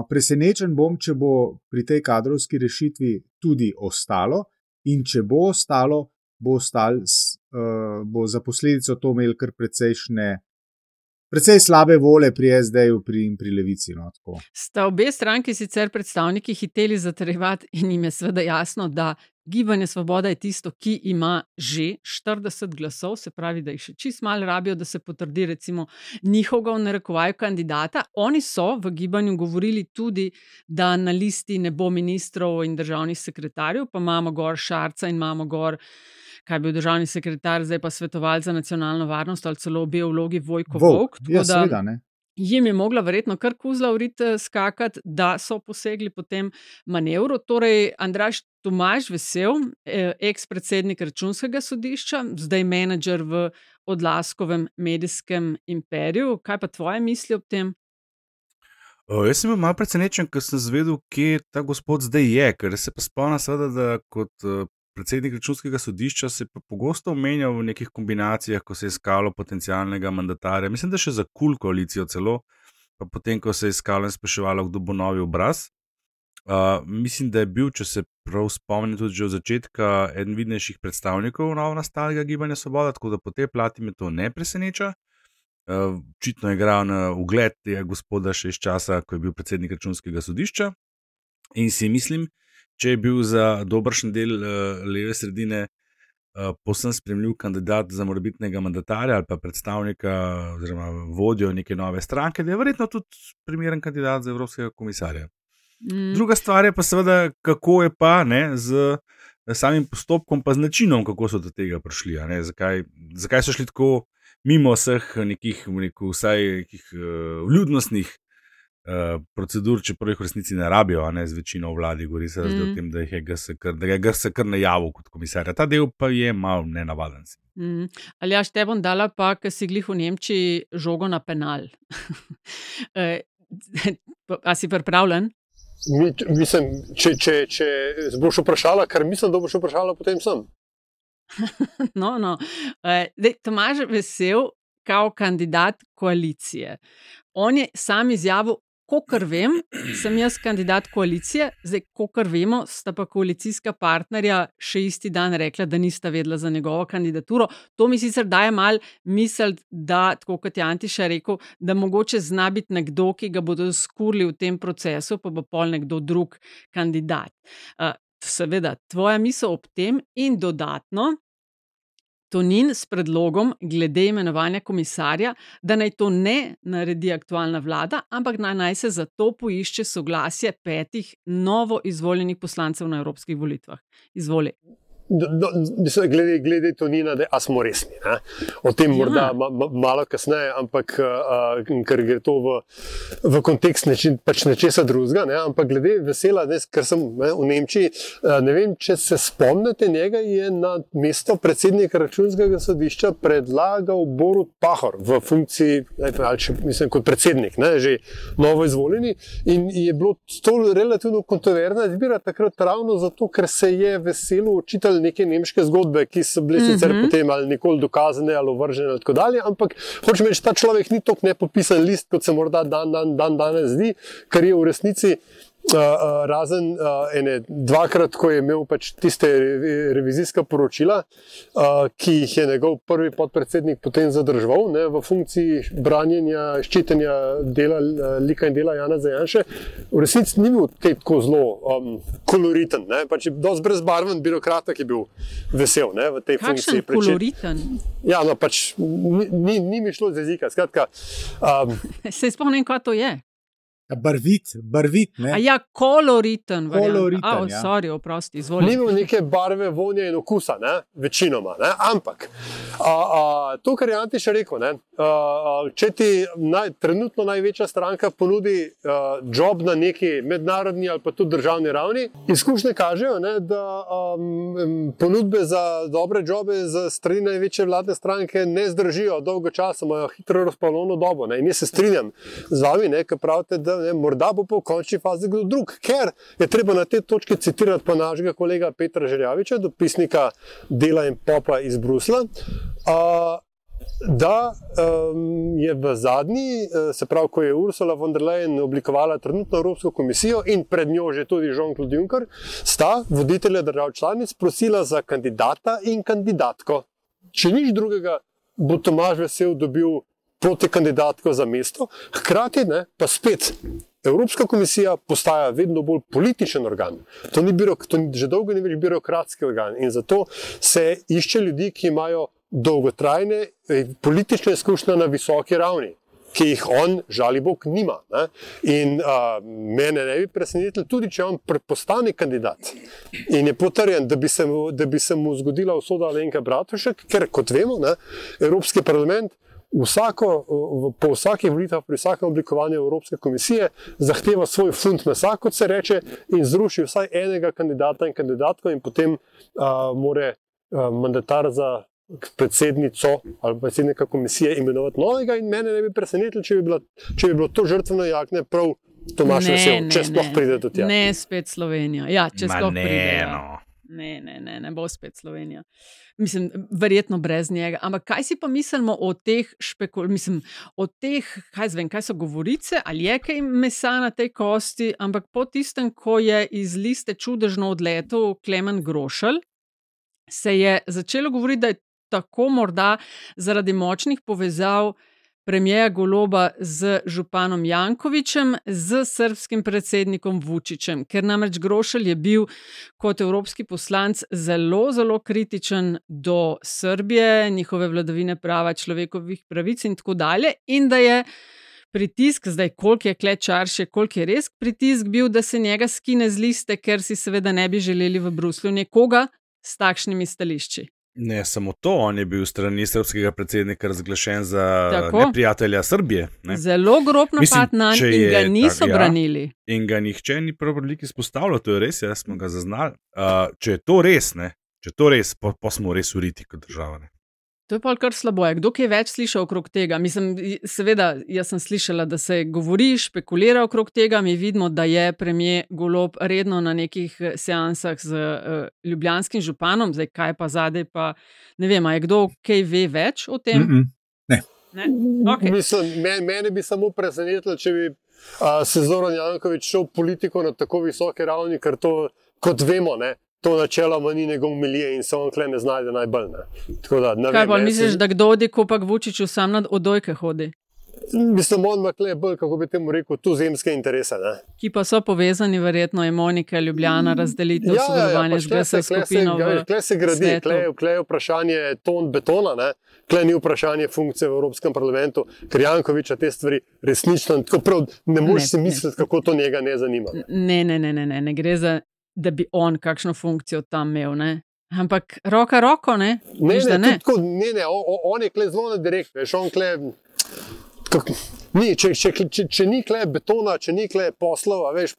presenečen bom, če bo pri tej kadrovski rešitvi tudi ostalo, in če bo ostalo, bo za posledico to imel kar precej slabe vole pri SD-ju in pri Levici. No, tako. Sta obe stranki sicer predstavniki hiteli zatrjevati in jim je seveda jasno, da Gibanje Svoboda je tisto, ki ima že 40 glasov, se pravi, da jih še čist malo rabijo, da se potrdi recimo njihovega v narekovaju kandidata. Oni so v gibanju govorili tudi, da na listi ne bo ministrov in državnih sekretarjev, pa imamo gor Šarca in imamo gor, kaj je bil državni sekretar, zdaj pa svetovalec za nacionalno varnost ali celo obe vlogi Vojko Volk. Ja, seveda, ne. Jim je mogla verjetno kar kuzla v rit skakati, da so posegli po tem manevru. Torej, Andraž Tomaž Vesel, eks-predsednik Računskega sodišča, zdaj menedžer v Odlaskovem medijskem imperiju. Kaj pa tvoje misli ob tem? Jaz sem bil malo presenečen, ker sem zvedel, kje ta gospod zdaj je, ker se pa spomnim seveda, da kot predsednik Računskega sodišča se je pogosto omenjal v nekih kombinacijah, ko se je iskalo potencialnega mandatarja. Mislim, da še za KUL koalicijo celo, pa potem, ko se je iskalo in spraševalo, kdo bo novi obraz. Mislim, da je bil, če se prav spomnim, tudi že od začetka eden vidnejših predstavnikov novonastalega Gibanja Svoboda, tako da po tej plati me to ne preseneča. Očitno je igral na ugled tega gospoda še iz časa, ko je bil predsednik Računskega sodišča, in si mislim, če je bil za dobršen del leve sredine povsem sprejemljiv kandidat za morebitnega mandatarja ali pa predstavnika oziroma vodjo neke nove stranke, da je verjetno tudi primeren kandidat za evropskega komisarja. Druga stvar je pa seveda, kako je pa z samim postopkom, pa z načinom, kako so do tega prišli. Zakaj so šli tako mimo vseh nekih, vsaj nekih vljudnostnih procedur, čeprav jih v resnici ne rabijo, a ne z večino vladi, govori se o tem, da je GS kar najavil kot komisarja. Ta del pa je malo nenavaden. Aljaž, te bom dala pa, ker si glih v Nemčiji žogo na penal. A si pripravljen? Mislim, če boš vprašala, kar mislim, da boš vprašala, potem sem. No. Tomaž Vesel, kao kandidat koalicije. On je sam izjavil, kolikor vem, sem jaz kandidat koalicije, zdaj, kolikor vemo, sta pa koalicijska partnerja še isti dan rekla, da nista vedela za njegovo kandidaturo. To mi sicer daje mal misel, da, tako kot je Antiša rekel, da mogoče zna biti nekdo, ki ga bodo skurili v tem procesu, pa bo pol nekdo drug kandidat. Seveda, tvoja misel ob tem in dodatno, Tonin s predlogom glede imenovanja komisarja, da naj to ne naredi aktualna vlada, ampak naj se za to poišče soglasje 5 novo izvoljenih poslancev na evropskih volitvah. Izvoli. Glede Tonina, a smo resni. Ne? O tem morda malo kasneje, ampak ker gre to v kontekst nečesa drugega. Ne? Ampak glede Vesela, ker sem v Nemčiji, ne vem, če se spomnite, njega je na mesto predsednika Računskega sodišča predlagal Borut Pahor v funkciji, mislim, kot predsednik, ne? Že novo izvoljeni. In je bilo to relativno kontroverzna izbira takrat ravno zato, ker se je Veselu očitali neke nemške zgodbe, ki so bile sicer potem ali nikoli dokazane ali ovržene ali tako dalje, ampak hočem reči, ta človek ni toliko nepopisan list, kot se morda danes zdi, kar je v resnici razen dvakrat, ko je imel pač tiste revizijska poročila, ki jih je njegov prvi podpredsednik potem zadržal, ne, v funkciji branjenja, ščitenja dela, lika in dela Janeza Janše, v resnici ni bil tako zelo koloriten, ne, pač je dosti brezbarven birokrat, ki je bil Vesel, ne, v tej funkciji. Kakšen koloriten? Ja, no, pač ni mi šlo z jezika, skratka. Se spomnim, kaj to je? Barvit, ne? A ja, koloriten. Koloriten, sorry, oprosti, izvoli. Ni imel neke barve, vonja in okusa, ne? Večinoma, ne? Ampak to, kar je Antiša rekel, ne? Če ti trenutno največja stranka ponudi job na neki mednarodni ali pa tudi državni ravni, izkušnje kažejo, ne, da ponudbe za dobre jobe za strani največje vladne stranke ne zdržijo dolgo časa, imajo hitro razplavljeno dobo. Ne? In jaz se strinjam z vami, ne, ker pravite, da morda bo po končni fazi kdo drug, ker je treba na te točke citirati pa našega kolega Petra Žerjaviča, dopisnika Dela in Popa iz Bruslja, da je v zadnji, se pravi, ko je Ursula von der Leyen oblikovala trenutno Evropsko komisijo in pred njo že tudi Jean-Claude Juncker, sta voditelja držav članic prosila za kandidata in kandidatko. Če nič drugega, bo Tomaž Vesel dobil protikandidatko za mesto, hkrati ne, pa spet Evropska komisija postaja vedno bolj političen organ. To že dolgo ni več birokratski organ in zato se išče ljudi, ki imajo dolgotrajne politične izkušnje na visoki ravni, ki jih on, žali Bog, nima. Ne? In mene ne bi presenetilo, tudi če on postane kandidat in je potrjen, da bi se mu zgodila usoda Alenke Bratušek, ker, kot vemo, ne, Evropski parlament po vsakih volitvah, pri vsakem oblikovanju Evropske komisije zahteva svoj funt mesa, kot se reče, in zruši vsaj enega kandidata in kandidatko in potem more mandatar za predsednico ali predsednika komisije imenovati novega in mene ne bi presenetilo, če bi bilo to žrtveno jakne prav Tomaž Vesel, če sploh pride do tja. Ne, spet Slovenija. Ja, če sploh pride. Ne bo spet Slovenija. Mislim, verjetno brez njega. Ampak kaj si pa mislimo o teh kaj so govorice, ali je kaj mesa na tej kosti, ampak po tistem, ko je iz liste čudežno odletel Klemen Grošelj, se je začelo govoriti, da je tako morda zaradi močnih povezav premierja Goloba z županom Jankovićem, z srbskim predsednikom Vučićem, ker namreč Grošelj je bil kot evropski poslanec zelo, zelo kritičen do Srbije, njihove vladavine prava, človekovih pravic in tako dalje, in da je pritisk, zdaj koliko je klečarše, koliko je res pritisk bil, da se njega skine z liste, ker si seveda ne bi želeli v Bruslju nekoga s takšnimi stališči. Ne, samo to, on je bil strani srbskega predsednika razglašen za Tako. neprijatelja Srbije. Ne? Zelo grob napad na njega in ga niso branili. In ga nihče ni prav veliko izpostavljal, to je res, jaz smo ga zaznali. Če je to res, pa smo res uriti kot država. Ne? To je pa kar slabo. Kdo je več slišal okrog tega? Mislim, seveda, jaz sem slišala, da se govori, špekulira okrog tega. Mi vidimo, da je premier Golob redno na nekih seansah z ljubljanskim županom. Zdaj, kaj pa zadaj, pa ne vem, je kdo kaj ve več o tem? Ne. Okay. Mislim, mene bi samo presenetilo, če bi se Zoran Janković šel politiko na tako visoke ravni, ker to, kot vemo, ne, to načeloma ni njegov milije in se on kle ne znajde najbolj. Ne. Tako da, ne kaj vem, pa misliš, da kdo odi, ko pa Vučiću sam na odojke hodi? Mislim, on ima kle bolj, kako bi temu rekel, tuzemske interese. Ne. Ki pa so povezani, verjetno je Monika, Ljubljana, razdelitev, sodelovanje z GS skupino v Kle se gradi, svetu. kle je vprašanje ton betona, ne. Kle ni vprašanje funkcije v Evropskem parlamentu, ker Jankovića te stvari resnično tako prav, ne moreš si misliti, kako to njega ne zanima. Ne gre za, da bi on kakšno funkcijo tam imel, ne. Ampak roko, ne? Ne, on je kle zelo direkt, veš, on kle... Če ni kle betona, če ni kle poslov, a veš,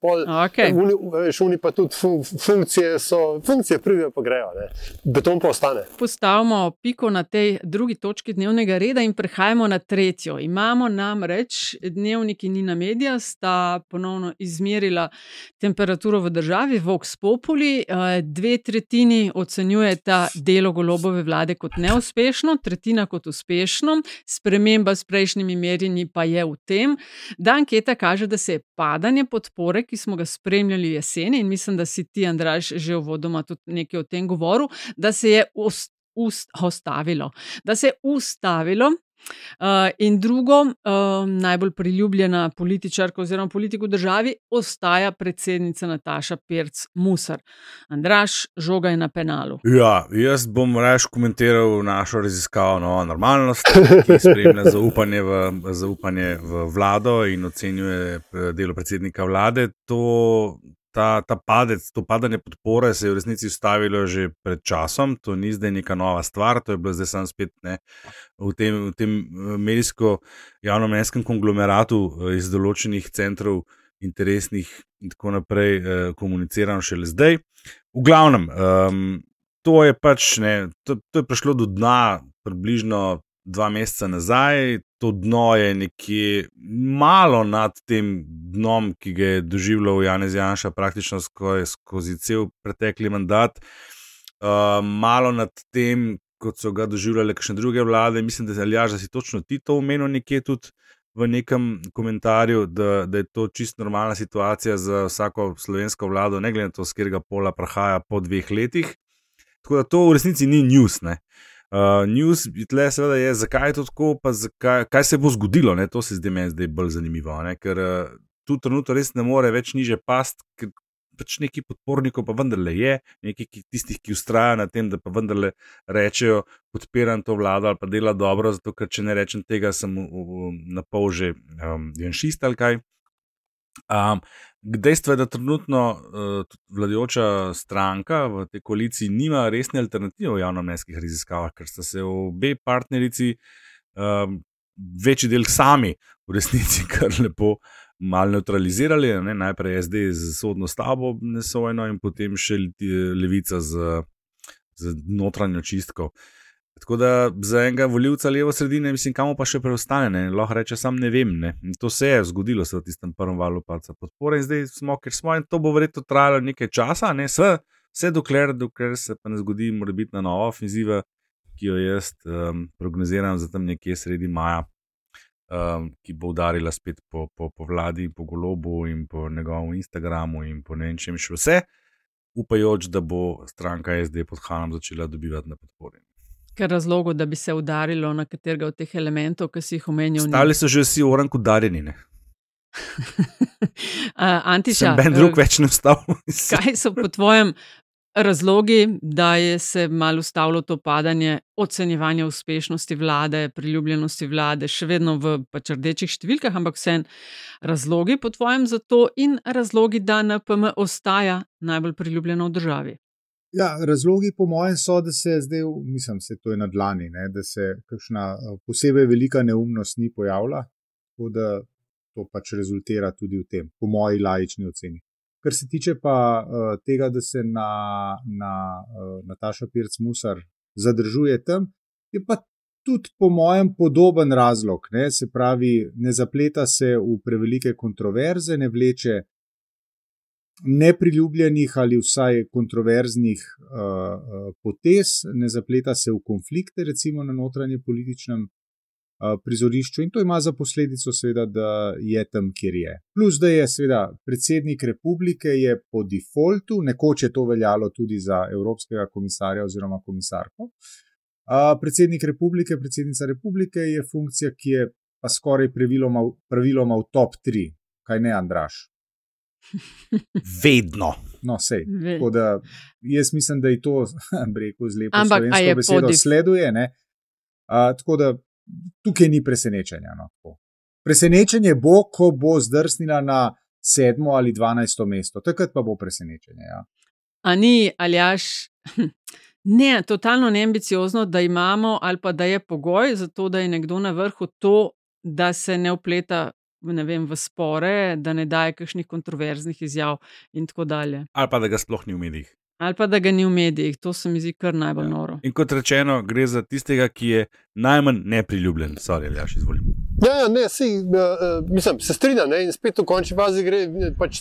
oni pa tudi funkcije pridejo pa grejo, ne. Beton pa ostane. Postavimo piko na tej drugi točki dnevnega reda in prehajamo na tretjo. Imamo namreč dnevniki Nina Media, sta ponovno izmerila temperaturo v državi, Vox Populi, 2/3 ocenjujeta delo Golobove vlade kot neuspešno, 1/3 kot uspešno, sprememba s prejšnjimi merjenji pa je v tem, da anketa kaže, da se je padanje podpore, ki smo ga spremljali jeseni, in mislim, da si ti, Andraž, že uvodoma tudi nekaj o tem govoril, da se je ustavilo. In drugo, najbolj priljubljena političarka oziroma politik v državi ostaja predsednica Nataša Pirc Musar. Andraž, žoga je na penalu. Ja, jaz bom raje komentiral našo raziskavo Nova normalnost, ki spremlja zaupanje v vlado in ocenjuje delo predsednika vlade. To padanje podpore se je v resnici ustavilo že pred časom, to ni zdaj neka nova stvar, to je bilo zdaj sam spet v tem medijsko-javnomnenjskem konglomeratu iz določenih centrov interesnih in tako naprej komunicirano šele zdaj. V glavnem, to je to je prišlo do dna približno 2 meseca nazaj, to dno je nekje malo nad tem dnom, ki ga je doživljal Janez Janša praktično skozi cel pretekli mandat, malo nad tem, kot so ga doživljale kakšne druge vlade. Mislim, da si točno ti to omenil nekje tudi v nekem komentarju, da je to čisto normalna situacija za vsako slovensko vlado, ne glede na to, s katerega pola prihaja po 2 letih. Tako da to v resnici ni news, ne. News tle seveda je, zakaj je to tako, pa kaj se bo zgodilo, ne? To se zdi meni zdaj bolj zanimivo, ne? Ker tu trenutno res ne more več niže past, ker pač neki podpornikov pa vendarle je, neki tistih, ki vztrajajo na tem, da pa vendarle rečejo, podpiram to vlado ali pa dela dobro, zato ker če ne rečem tega, sem na pol že janšist ali kaj. Dejstvo je, da trenutno vladajoča stranka v tej koaliciji nima resne alternative v javnomnenjskih raziskavah, ker sta se obe partnerici večji del sami v resnici kar lepo malo neutralizirali, ne? Najprej SD z sodno stavbo nesojeno in potem še Levica z notranjo čistko. Tako da za enega volivca levo sredine, mislim, kamo pa še preostane, ne? Lahko reče, sam ne vem, ne? In to se je zgodilo v tistem prvem valu padca podpore in zdaj smo, ker smo, in to bo verjetno trajalo nekaj časa, ne? Vse dokler se pa ne zgodi morebitna nova ofenziva, ki jo jaz prognoziram za tam nekje sredi maja, ki bo udarila spet po vladi, po Golobu in po njegovem Instagramu in po ne vem čem še vse, upajoč, da bo stranka SD pod Hanom začela dobivati na podpori. Ker razlogov, da bi se udarilo na katerega od teh elementov, ki si jih omenil. Stali so že vsi orank udarjeni, ne? Antiša, Ben drug več ne vstal. Kaj so po tvojem razlogi, da je se malo ustavilo to padanje ocenjevanja uspešnosti vlade, priljubljenosti vlade, še vedno v pač rdečih številkah, ampak vseeno razlogi po tvojem za to in razlogi, da NPM ostaja najbolj priljubljena v državi? Ja, razlogi po mojem so, da se zdaj, mislim, se to je na dlani, ne, da se kakšna posebej velika neumnost ni pojavila, tako da to pač rezultira tudi v tem, po moji laični oceni. Kar se tiče pa tega, da se Nataša Pirc Musar zadržuje tam, je pa tudi po mojem podoben razlog, ne, se pravi, ne zapleta se v prevelike kontroverze, ne vleče nepriljubljenih ali vsaj kontroverznih potez, ne zapleta se v konflikte, recimo na notranje političnem prizorišču in to ima za posledico seveda, da je tam, kjer je. Plus, da je seveda predsednik republike je po defaultu, nekoč je to veljalo tudi za evropskega komisarja oziroma komisarko, predsednik republike, predsednica republike je funkcija, ki je pa skoraj praviloma v top 3, kaj ne, Andraž? Vedno. No, sej. Tako da jaz mislim, da je to, rekel z lepo slovensko besedo, sleduje, ne? Tako da tukaj ni presenečenja. No, presenečenje bo, ko bo zdrsnila na 7. ali 12. mesto. Takrat pa bo presenečenje. Ja. A ni, Aljaž, ne, totalno neambiciozno, da imamo ali pa da je pogoj za to, da je nekdo na vrhu to, da se ne vpleta v spore, da ne daje kakšnih kontroverznih izjav in tako dalje. Ali pa da ga sploh ni v medijih. Ali pa da ga ni v medijih, to se mi zdi kar najbolj noro. In kot rečeno, gre za tistega, ki je najmanj nepriljubljen. Sorry, Aljaž, izvolim. Ja, ne, mislim, se strinjam, ne, in spet v končni fazi gre pač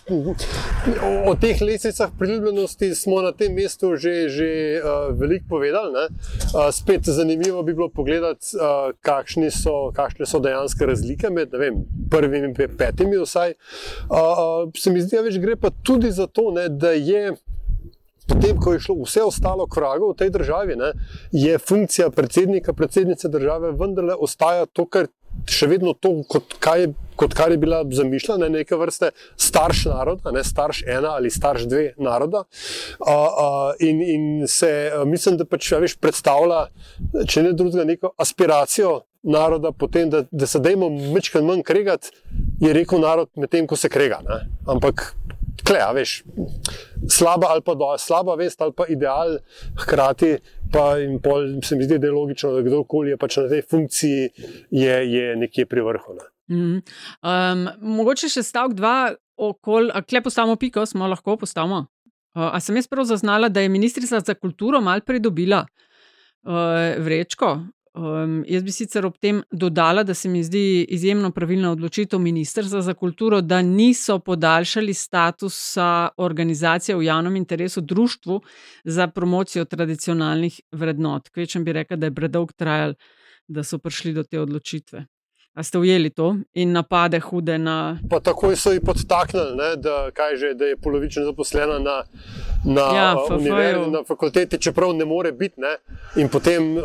o teh lestvicah priljubljenosti smo na tem mestu že veliko povedali, ne. Spet zanimivo bi bilo pogledati, kakšne so dejanske razlike med, ne vem, prvimi in petimi vsaj. Se mi zdi, več gre pa tudi za to, ne, da je potem, ko je šlo vse ostalo k vragu v tej državi, ne, je funkcija predsednika, predsednice države vendarle ostaja to, kar še vedno to, kot kar je bila zamišljena, neke vrste starš naroda, ne, starš 1 ali starš 2 naroda. In se, mislim, da pač več predstavlja, če ne drugega, neko aspiracijo naroda potem, da se dajmo majčkeno manj kregati, je rekel narod med tem, ko se krega. Ne. Ampak slaba vest ali pa ideal, hkrati pa in pol se mi zdi, da je logično, da kdorkoli je pač na tej funkciji je nekje pri vrhu. Ne. Mogoče še stavek 2 okoli, a kle postavimo piko, smo lahko postavimo? A sem jaz prav zaznala, da je ministrica za kulturo malo pridobila vrečko? Jaz bi sicer ob tem dodala, da se mi zdi izjemno pravilna odločitev ministrstva za kulturo, da niso podaljšali statusa organizacije v javnem interesu društvu za promocijo tradicionalnih vrednot. Kvečem bi rekla, da je predolgo trajalo, da so prišli do te odločitve. A ste ujeli to in napade hude na... Pa takoj so ji podtaknili, ne, da je polovično zaposlena na univerzi, na fakulteti, čeprav ne more biti, ne, in potem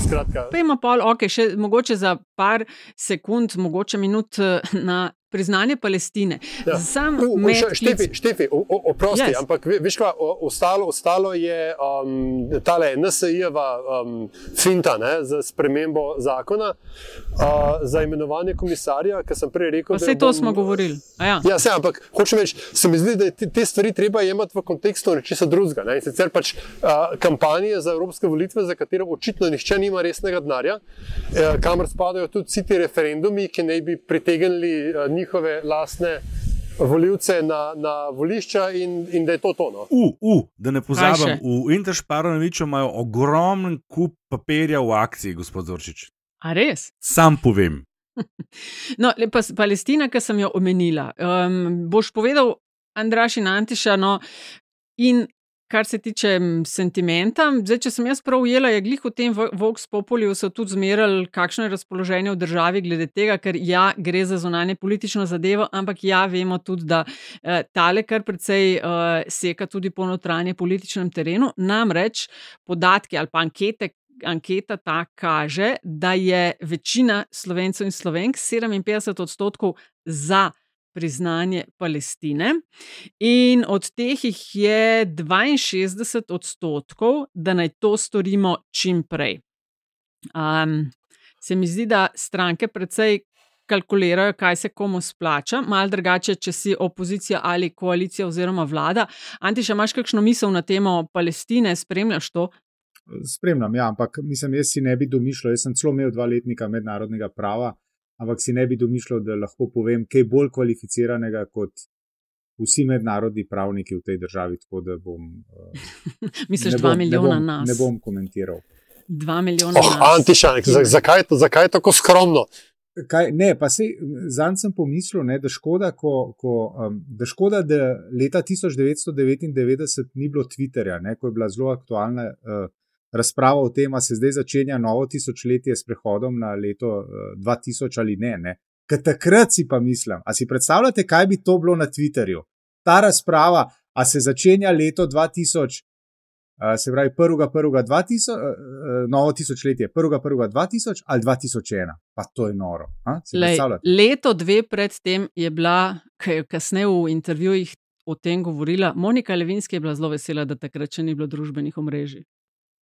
skratka... Pa ima pol, še mogoče za par sekund, mogoče minut na priznanje Palestine. Ja. Štefi, oprosti, yes. Ampak veš kaj, ostalo je tale NSI-jeva finta, ne, za spremembo zakona, za imenovanje komisarja, ki sem prej rekel, pa to smo govorili. Ja, ampak hočem reči, se mi zdi, da te stvari treba jemati v kontekstu nečesa drugega, ne, in sicer pač kampanje za evropske volitve, za katero očitno nihče nima resnega denarja, kamor spadajo tudi vsi ti referendumi, ki naj bi pritegnili njihove lastne volivce na volišča in da je to. No. Da ne pozabim, v Interšparonoviču imajo ogromen kup papirja v akciji, gospod Zorčič. A res? Sam povem. No, pa Palestina, ki sem jo omenila. Boš povedal, Andraž in Antiša, no, in kar se tiče sentimenta, zdaj, če sem jaz prav ujela, je glih v tem Vox Populiju so tudi zmerali, kakšno je razpoloženje v državi glede tega, ker gre za zunanje politično zadevo, ampak vemo tudi, da tale kar precej seka tudi po notranje političnem terenu, namreč podatki ali pa anketa ta kaže, da je večina Slovencev in Slovenk, 57% za priznanje Palestine in od teh jih je 62%, da naj to storimo čim prej. Se mi zdi, da stranke precej kalkulirajo, kaj se komu splača, malo drugače, če si opozicija ali koalicija oziroma vlada. Antiša, imaš kakšno misel na temo Palestine, spremljaš to? Spremljam, ja, ampak mislim, jaz si ne bi domišljal, jaz sem celo imel 2 letnika mednarodnega prava, ampak si ne bi domišljal, da lahko povem kaj bolj kvalificiranega kot vsi mednarodni pravniki v tej državi, tako da bom... Misliš 2 milijona nas? Ne bom komentiral. 2 milijona nas. Antišanek, zakaj je tako skromno? Ne, pa sej, zanj sem pomislil, ne, da škoda, da leta 1999 ni bilo Twitterja, ne, ko je bila zelo aktualna razprava o tem, a se zdaj začenja novo tisočletje s prehodom na leto 2000 ali ne. Ker takrat si pa mislim, a si predstavljate, kaj bi to bilo na Twitterju? Ta razprava, a se začenja leto 2000, se pravi 1.1.2000, novo tisočletje, 1.1.2000 ali 2001? Pa to je noro. Leto 2 pred tem je bila, ki je kasneje v intervjujih o tem govorila, Monika Levinski je bila zelo vesela, da takrat še ni bilo družbenih omrežij.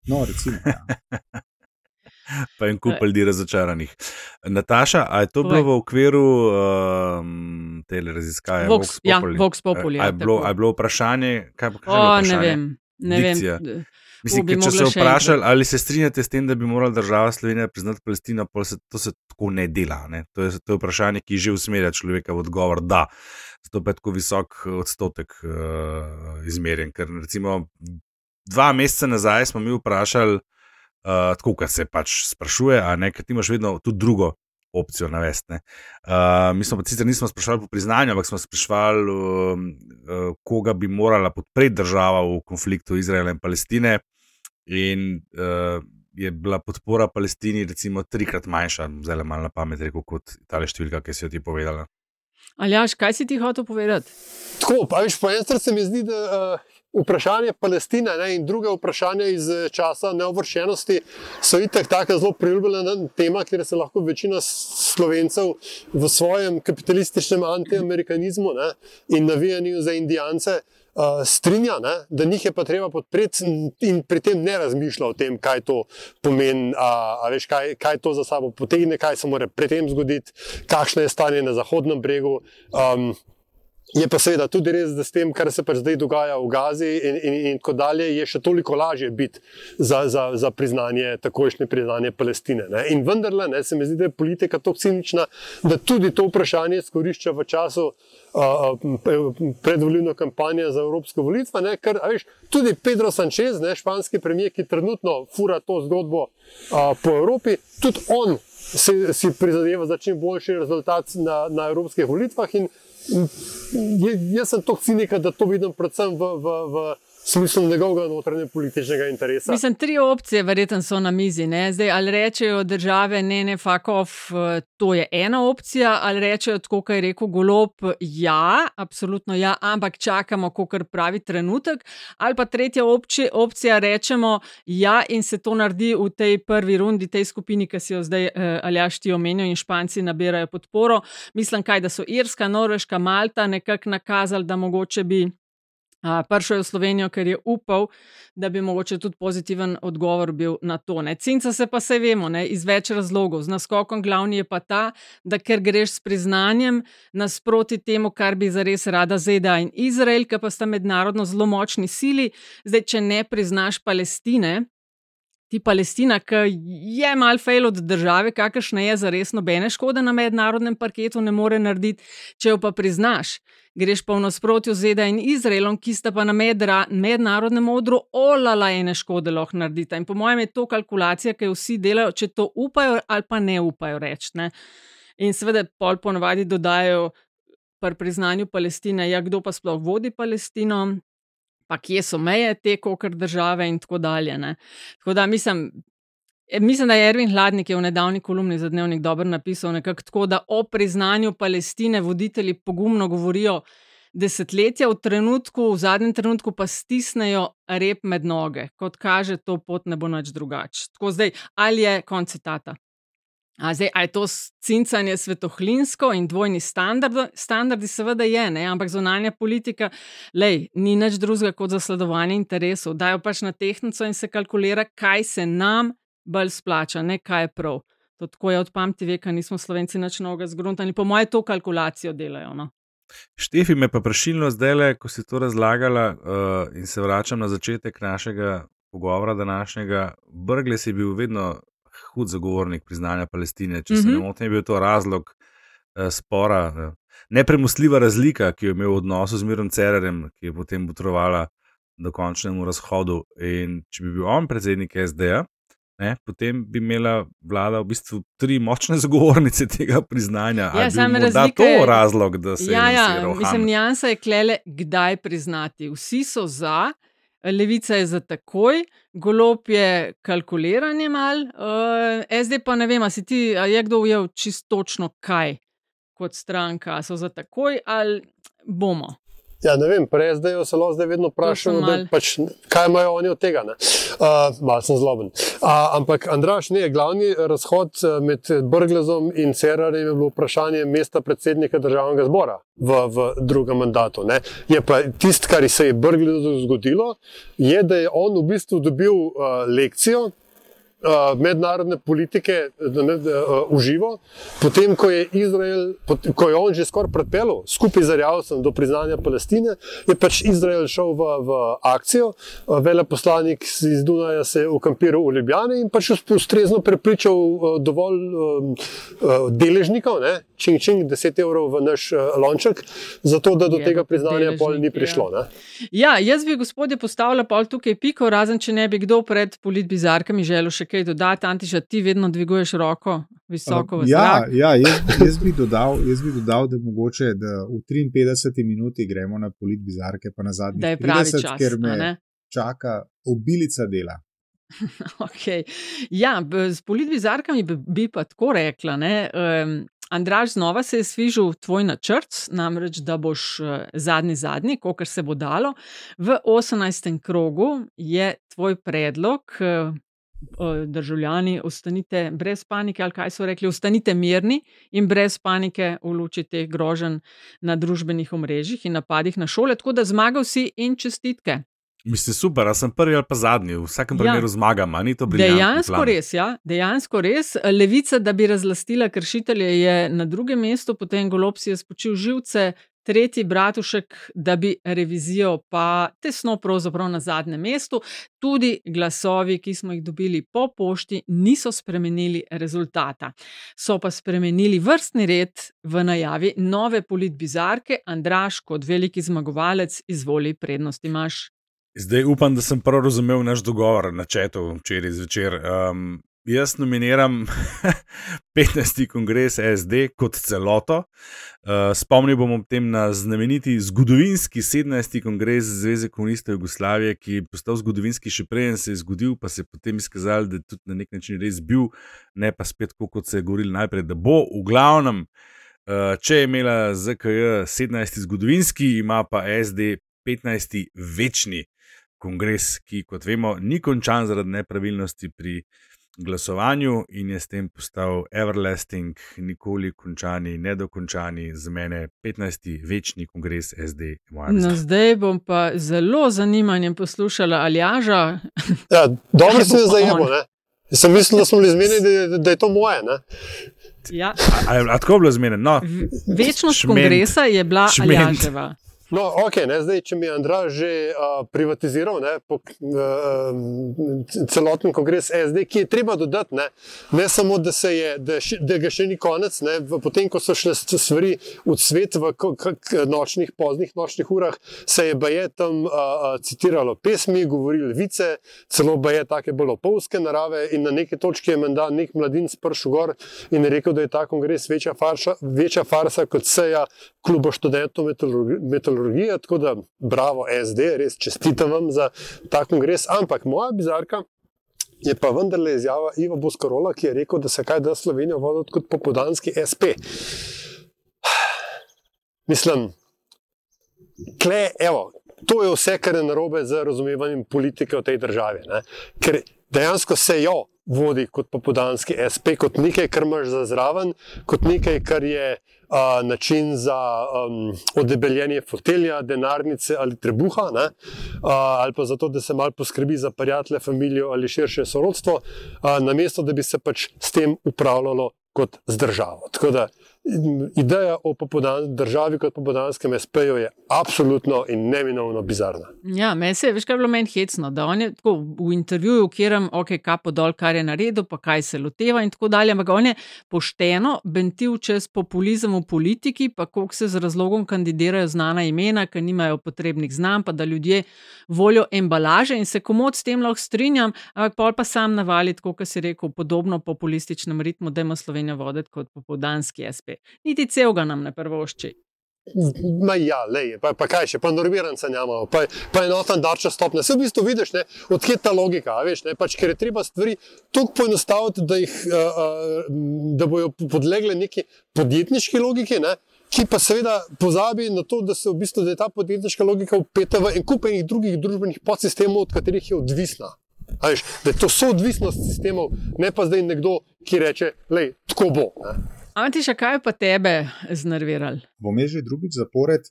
No, recimo, ja. Pa en kup ljudi razočaranih. Nataša, a je to bilo v okviru tele raziskave Vox Populi? Ja, Vox Populi. A je bilo vprašanje? Kaj je bilo vprašanje? Ne vem. Mislim, če se vprašali, ali se strinjate s tem, da bi morala država Slovenija priznati Palestino, to se tako ne dela. Ne? To je vprašanje, ki že usmerja človeka v odgovor, da. Zato pa je tako visok odstotek izmerjen. Ker recimo 2 meseca nazaj smo mi vprašali, tako, kar se pač sprašuje, a ne, ker ti imaš vedno tudi drugo opcijo navesti. Mi smo pa sicer nismo sprašvali po priznanju, ampak smo sprašvali, koga bi morala podpreti država v konfliktu Izraela in Palestine, in je bila podpora Palestini recimo 3-krat manjša, zdaj malo na pamet rekel, kot tale številka, ki si jo ti povedala. Aljaž, kaj si ti hotel povedati? Tako, pa viš, po eni strani se mi zdi, da vprašanje Palestine, ne, in druge vprašanja iz časa neovršenosti so itak taka zelo priljubljena tema, kjer se lahko večina Slovencev v svojem kapitalističnem antiamerikanizmu, ne, in navijanju za Indijance strinja, ne, da njih je pa treba podpreti in pri tem ne razmišlja o tem, kaj to pomeni, veš, kaj to za sabo potegne, kaj se mora pri tem zgoditi, kakšno je stanje na Zahodnem bregu. Je pa seveda tudi res, da s tem, kar se pač zdaj dogaja v Gazi in tako dalje, je še toliko lažje biti za priznanje, takojšnje priznanje Palestine. Ne. In vendarle, ne, se mi zdi, da je politika tako cinična, da tudi to vprašanje izkorišča v času predvolilno kampanjo za evropske volitve, ne, ker veš, tudi Pedro Sanchez, ne, španski premier, ki trenutno fura to zgodbo po Evropi, tudi on si prizadeva za čim boljši rezultat na evropskih volitvah in jaz sem toliko cinika, da to vidim predvsem v smislu njegovega notranje političnega interesa. Mislim, 3 opcije verjetno so na mizi, ne? Zdaj, ali rečejo države, ne, fuck off, to je ena opcija, ali rečejo, tako kot je rekel Golob, ja, absolutno ja, ampak čakamo, kakor pravi trenutek, ali pa tretja opcija, rečemo ja in se to naredi v tej prvi rundi, tej skupini, ki si jo zdaj Aljaž ti omenil, in Španci nabirajo podporo. Mislim, da so Irska, Norveška, Malta nekako nakazali, da mogoče bi prišel v Slovenijo, ker je upal, da bi mogoče tudi pozitiven odgovor bil na to. Ne. Cinca se pa saj vemo, ne, iz več razlogov. Z naskokom glavni je pa ta, da ker greš s priznanjem nasproti temu, kar bi zares rada ZDA in Izrael, ki pa sta mednarodno zelo močni sili. Zdaj, če ne priznaš Palestine, ti Palestina, ki je mal fail od države, kakršna je, zares nobene škode na mednarodnem parketu ne more narediti, če jo pa priznaš. Greš pa v nasprotju z ZDA in Izraelom, ki sta pa na mednarodnem odru olala ene škode lahko naredita. In po mojem je to kalkulacija, ki jo vsi delajo, če to upajo ali pa ne upajo reči. Ne. In seveda pol ponavadi dodajo pri priznanju Palestine, ja, kdo pa sploh vodi Palestino, pa kje so meje te kakor države in tako dalje. Ne. Tako da mislim, da je Ervin Hladnik v nedavni kolumni za Dnevnik dobro napisal nekako tako, da o priznanju Palestine voditelji pogumno govorijo desetletja, v zadnjem trenutku pa stisnejo rep med noge. Kot kaže, to pot ne bo nič drugače. Tako zdaj, ali je konec citata. Zdaj, a je to cincanje svetohlinsko in dvojni standardi seveda je, ne? Ampak zunanja politika, ni nič drugega kot zasledovanje interesov. Dajo pač na tehtnico in se kalkulira, kaj se nam bolj splača, ne kaj je prav. To tako je od pameti veka, nismo Slovenci nič novega zgruntali. Po moje to kalkulacijo delajo. No? Štefi me pa prešilno zdajle, ko si to razlagala in se vračam na začetek našega pogovora današnjega. Brglez je bil vedno hud zagovornik priznanja Palestine. Če se ne motim, je bil to razlog spora, nepremostljiva razlika, ki jo je imel v odnosu z Mirom Cerarjem, ki je potem botrovala do končnemu razhodu. In če bi bil on predsednik SD-ja, potem bi imela vlada v bistvu 3 močne zagovornice tega priznanja. Ja, ali bi morda to razlog, da se je lansiral Han? Mislim, nijansa je klele, kdaj priznati. Vsi so za, Levica je za takoj, Golob je kalkuliranje mal, SD pa ne vem, a je kdo ujel čisto točno kaj kot stranka, so za takoj ali bomo? Ja, ne vem, pri SD-ju se lahko zdaj vedno vprašamo, kaj imajo oni od tega. Malo sem zloben. Ampak, Andraž, glavni razhod med Brglezom in Cerarjem je bilo vprašanje mesta predsednika državnega zbora v drugem mandatu. Ne. Je pa tisto, kar se je Brglezu zgodilo, je, da je on v bistvu dobil lekcijo mednarodne politike uživo, potem, ko je Izrael, ko je on že skoraj pripeljal skupaj z Erjavcem do priznanja Palestine, je pač Izrael šel v akcijo, veleposlanik iz Dunaja se je ukampiral v Ljubljani in pač ustrezno prepričal dovolj deležnikov, čing, 10 evrov v naš lonček, zato da do tega priznanja pol ni prišlo. Ne? Ja, jaz bi, gospodje, postavila pol tukaj piko, razen če ne bi kdo pred politbizarkami želel še kaj dodati. Antiša, ti vedno dviguješ roko visoko v zrak. Ja, jaz bi dodal, da mogoče, da v 53 minuti gremo na politbizarke, pa na zadnjih 30, čas, ker me čaka obilica dela. Okay. Ja, s politbizarkami bi pa tako rekla, Andraž, znova se je svižil tvoj načrt, namreč, da boš zadnji, kolikor se bo dalo. V 18. krogu je tvoj predlog, državljani, ostanite brez panike, ali kaj so rekli, ostanite mirni in brez panike v luči teh groženj na družbenih omrežjih in napadih na šole, tako da zmagal si in čestitke. Mislim, super, a sem prvi ali pa zadnji, v vsakem primeru zmagam, a ni to briljantni plan? Dejansko res. Levica, da bi razlastila kršitelje, je na drugem mestu, potem Golob si je spočil živce, tretji Bratušek, da bi revizijo pa tesno pravzaprav na zadnjem mestu. Tudi glasovi, ki smo jih dobili po pošti, niso spremenili rezultata. So pa spremenili vrstni red v najavi nove politbizarke. Andraž, kot veliki zmagovalec, izvoli, prednost imaš. Zdaj upam, da sem prav razumel naš dogovor na chatu včeraj zvečer. Jaz nominiram 15. kongres SD kot celoto. Spomnil bom ob tem na znameniti zgodovinski 17. kongres Zveze komunistov Jugoslavije, ki je postal zgodovinski še preden se je zgodil, pa se je potem izkazalo, da je tudi na nek način res bil, ne pa spet kot se je govorili najprej, da bo. V glavnem, če je imela ZKJ 17. zgodovinski, ima pa SD 15. večni kongres, ki, kot vemo, ni končan zaradi nepravilnosti pri glasovanju in je s tem postal everlasting, nikoli končani, nedokončani, za mene 15. večni kongres SD. No, zdaj bom pa zelo zanimanjem poslušala Aljaža. Ja, dobro se je zajemo, ne? Jaz sem mislil, da smo bili zmenjeni, da je to moje, ne? Ja. A tako bilo zmenjeno? No, večnost kongresa je bila Aljaževa. No, ok, zdaj, če mi je Andraž že privatiziral celoten kongres SD, ki je treba dodati, ne samo, da ga še ni konec, potem, ko so šle stvari v svet v poznih nočnih urah, se je baje tam citiralo pesmi, govorili vice, celo baje take bolj opovske narave in na neki točki je menda nek mladinc pršel gor in je rekel, da je ta kongres večja farsa kot seja kluba študentov metalurgije, tako da bravo SD, res čestitam vam za ta kongres, ampak moja bizarka je pa vendarle izjava Iva Boscarola, ki je rekel, da se kaj da Slovenijo voditi kot popoldanski SP. Mislim, to je vse, kar je narobe z razumevanjem politike v tej državi, ne? Ker dejansko se jo vodi kot popoldanski SP, kot nekaj, kar imaš za zraven, kot nekaj, kar je način za odebeljenje fotelja, denarnice ali trebuha, ali pa zato, da se malo poskrbi za prijatelje, familijo ali širše sorodstvo, namesto da bi se pač s tem upravljalo kot z državo. Tako da ideja o državi kot popoldanskem SP-ju je absolutno in neminovno bizarna. Ja, veš, kaj je bilo meni hecno, da on je tako v intervjuju, kjerem, kapo dol, kar je naredil, pa kaj se loteva in tako dalje, ampak on je pošteno bentil čez populizem v politiki, pa koliko se z razlogom kandidirajo znana imena, ki nimajo potrebnih znanj, pa da ljudje volijo embalaže in se komod s tem lahko strinjam, ampak pol pa sam navali, tako kot si rekel, podobno populističnem ritmu, da ima Slovenijo voditi kot popoldanski SP. Niti celega nam ne prvošči. Pa kaj še, pa normiranca njamo, pa enoten darča stopne. Se v bistvu vidiš, odkje ta logika, veš, ker je treba stvari toliko poenostaviti, da bojo podlegle neki podjetniški logiki, ki pa seveda pozabi na to, da je ta podjetniška logika vpeta v en kup enih drugih družbenih podsistemov, od katerih je odvisna. Veš, da je to soodvisnost sistemov, ne pa zdaj nekdo, ki reče, tako bo. Antiša, kaj pa tebe znervirali? Bom že drugič zapored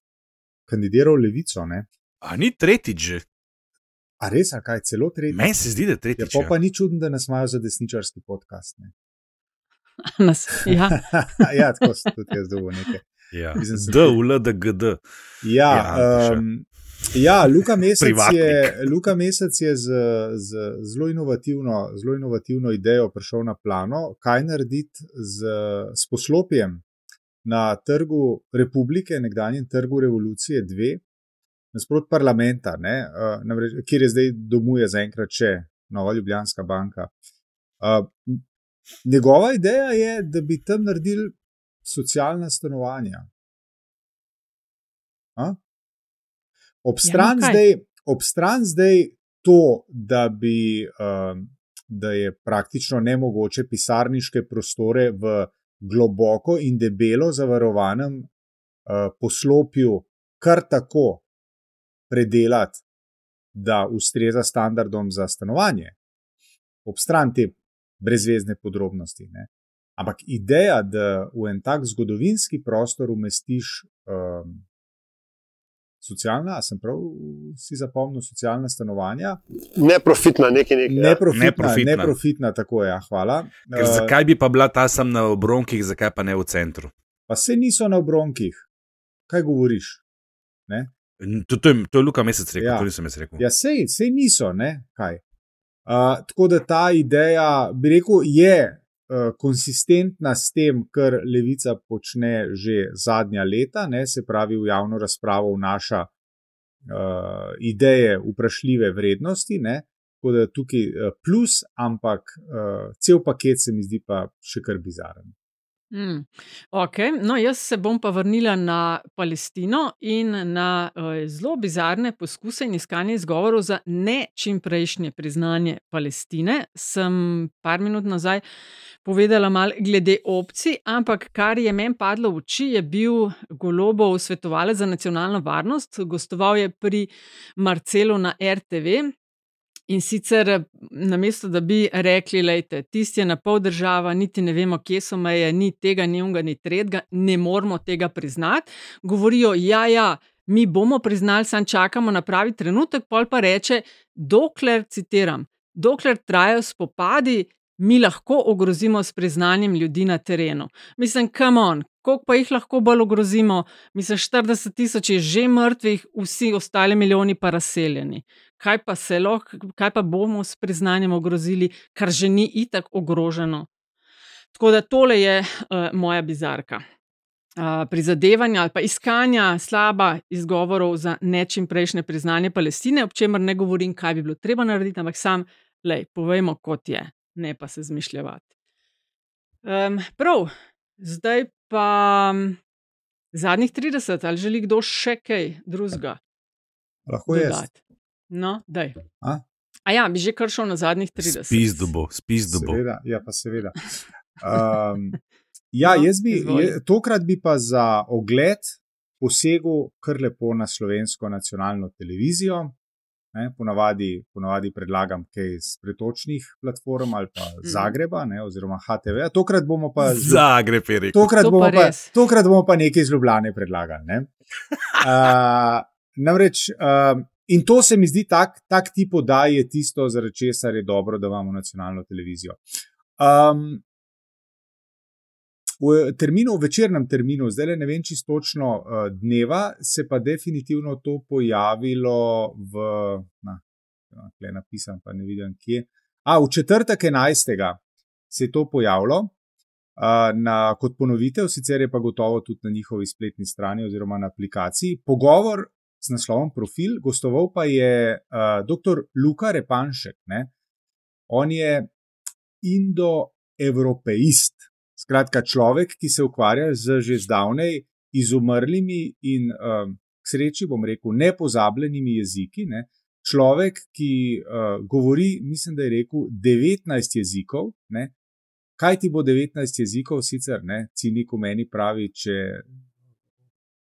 kandidiral Levico, ne? A ni tretjič že? A res, a kaj, celo tretjič? Meni se zdi, da tretjič. Ja, pa ni čudno, da nas imajo za desničarski podcast, ne? Ja. Ja, tako se tudi jaz dobo nekaj. Ja, DULDGD. Ja, Luka Mesec je z zelo inovativno idejo prišel na plano, kaj narediti s poslopjem na trgu Republike, nekdanjem trgu Revolucije 2, nasprot parlamenta, kjer je zdaj domuje zaenkrat še Nova Ljubljanska banka. Njegova ideja je, da bi tam naredili socialna stanovanja. Obstran zdaj to, da je praktično nemogoče pisarniške prostore v globoko in debelo zavarovanem poslopju kar tako predelati, da ustreza standardom za stanovanje. Obstran te brezvezne podrobnosti. Ampak ideja, da v en tak zgodovinski prostor umestiš socialna, sem prav si zapomnil, socialna stanovanja. Neprofitna, Neprofitna, tako je, hvala. Zakaj bi pa bila ta sem na obronkih, zakaj pa ne v centru? Pa se niso na obronkih. Kaj govoriš? To je Luka Mesec rekel, to nisem jaz rekel. Ja, sej niso, kaj. Tako da ta ideja, bi rekel, je konsistentna s tem, kar Levica počne že zadnja leta, se pravi v javno razpravo vnaša ideje vprašljive vrednosti, tako da tukaj plus, ampak cel paket se mi zdi pa še kar bizaren. No, jaz se bom pa vrnila na Palestino in na zelo bizarne poskuse in iskanje izgovorov za ne čimprejšnje priznanje Palestine. Sem par minut nazaj povedala malo glede opcij, ampak kar je meni padlo v oči, je bil Golobov svetovalec za nacionalno varnost. Gostoval je pri Marcelu na RTV. In sicer namesto, da bi rekli, lejte, tisti je na pol država, niti ne vemo, kje so meje, ni tega, ni unga, ni tretjega, ne moramo tega priznati. Govorijo, mi bomo priznali, samo čakamo na pravi trenutek, pol pa reče, citiram, dokler trajajo spopadi, mi lahko ogrozimo s priznanjem ljudi na terenu. Mislim, come on, koliko pa jih lahko bolj ogrozimo? Mislim, 40,000 je že mrtvih, vsi ostali milijoni pa razseljeni. Kaj pa bomo s priznanjem ogrozili, kar že ni itak ogroženo? Tako da tole je moja bizarka. Prizadevanja ali pa iskanja slaba izgovorov za nečimprejšnje priznanje Palestine, ob čemer ne govorim, kaj bi bilo treba narediti, ampak povejmo, kot je, ne pa se zmišljavati. Prav, zdaj pa zadnjih 30, ali želi kdo še kaj drugega? Lahko dodati? No, daj. Ja, bi že kar šel na zadnjih 30. Spizdo bo. Seveda. Tokrat bi pa za ogled posegel kar lepo na Slovensko nacionalno televizijo. Ponavadi predlagam kaj z pretočnih platform ali pa Zagreba, oziroma HTV. Tokrat bomo pa Zagreb, je rekel. Tokrat bomo pa nekaj iz Ljubljane predlagali. Namreč, in to se mi zdi tak tip oddaj je tisto, zaradi česar je dobro, da imamo nacionalno televizijo. V večernem terminu, zdaj ne vem čisto točno dneva, se pa definitivno to pojavilo tukaj napisam, pa ne vidim kje. V četrtek 11. se je to pojavilo kot ponovitev, sicer je pa gotovo tudi na njihovi spletni strani oziroma na aplikaciji. Pogovor s naslovom Profil, gostoval pa je dr. Luka Repanšek. On je indoevropeist. Skratka, človek, ki se ukvarja z že zdavnej izumrlimi in k sreči, bom rekel, nepozabljenimi jeziki. Človek, ki govori, mislim, da je rekel 19 jezikov. Kaj ti bo 19 jezikov sicer? Cinik v meni pravi, če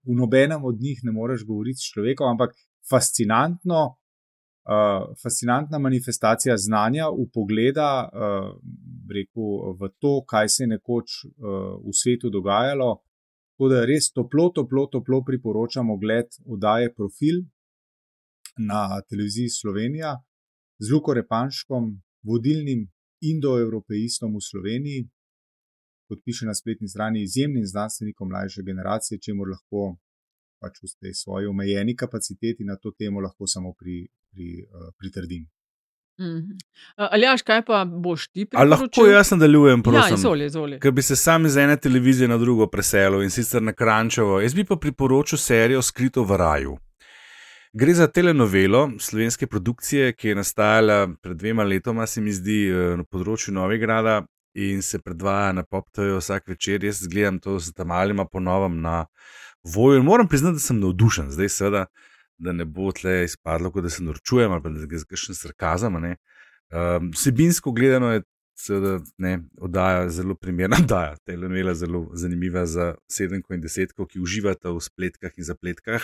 v nobenem od njih ne moreš govoriti s človekom, ampak fascinantna manifestacija znanja, vpogleda v to, kaj se je nekoč v svetu dogajalo. Tako da res toplo priporočam ogled oddaje Profil na televiziji Slovenija z Luko Repanškom, vodilnim indoevropeistom v Sloveniji, kot piše na spletni strani, izjemnim znanstvenikom mlajše generacije, čemur lahko pač v tej svoji omejeni kapaciteti na to temo lahko samo pritrdim. Aljaž, kaj pa boš ti priporočil? Lahko jaz nadaljujem, prosim. Izvoli. Ker bi se sam iz ene televizije na drugo preselil, in sicer na Kranjčevo. Jaz bi pa priporočil serijo Skrito v raju. Gre za telenovelo slovenske produkcije, ki je nastajala pred 2 letoma, se mi zdi, na področju Novigrada in se predvaja na Pop TV vsak večer. Jaz gledam to z tamalima ponovom na Voju. Moram priznati, da sem navdušen. Zdaj seveda, da ne bo tle izpadlo, kot da se norčujem ali pa da je kakšen sarkazem. Vsebinsko gledano je seveda oddaja zelo primerna oddaja. Telenovela zelo zanimiva za 7 in 10, ki uživata v spletkah in zapletkah,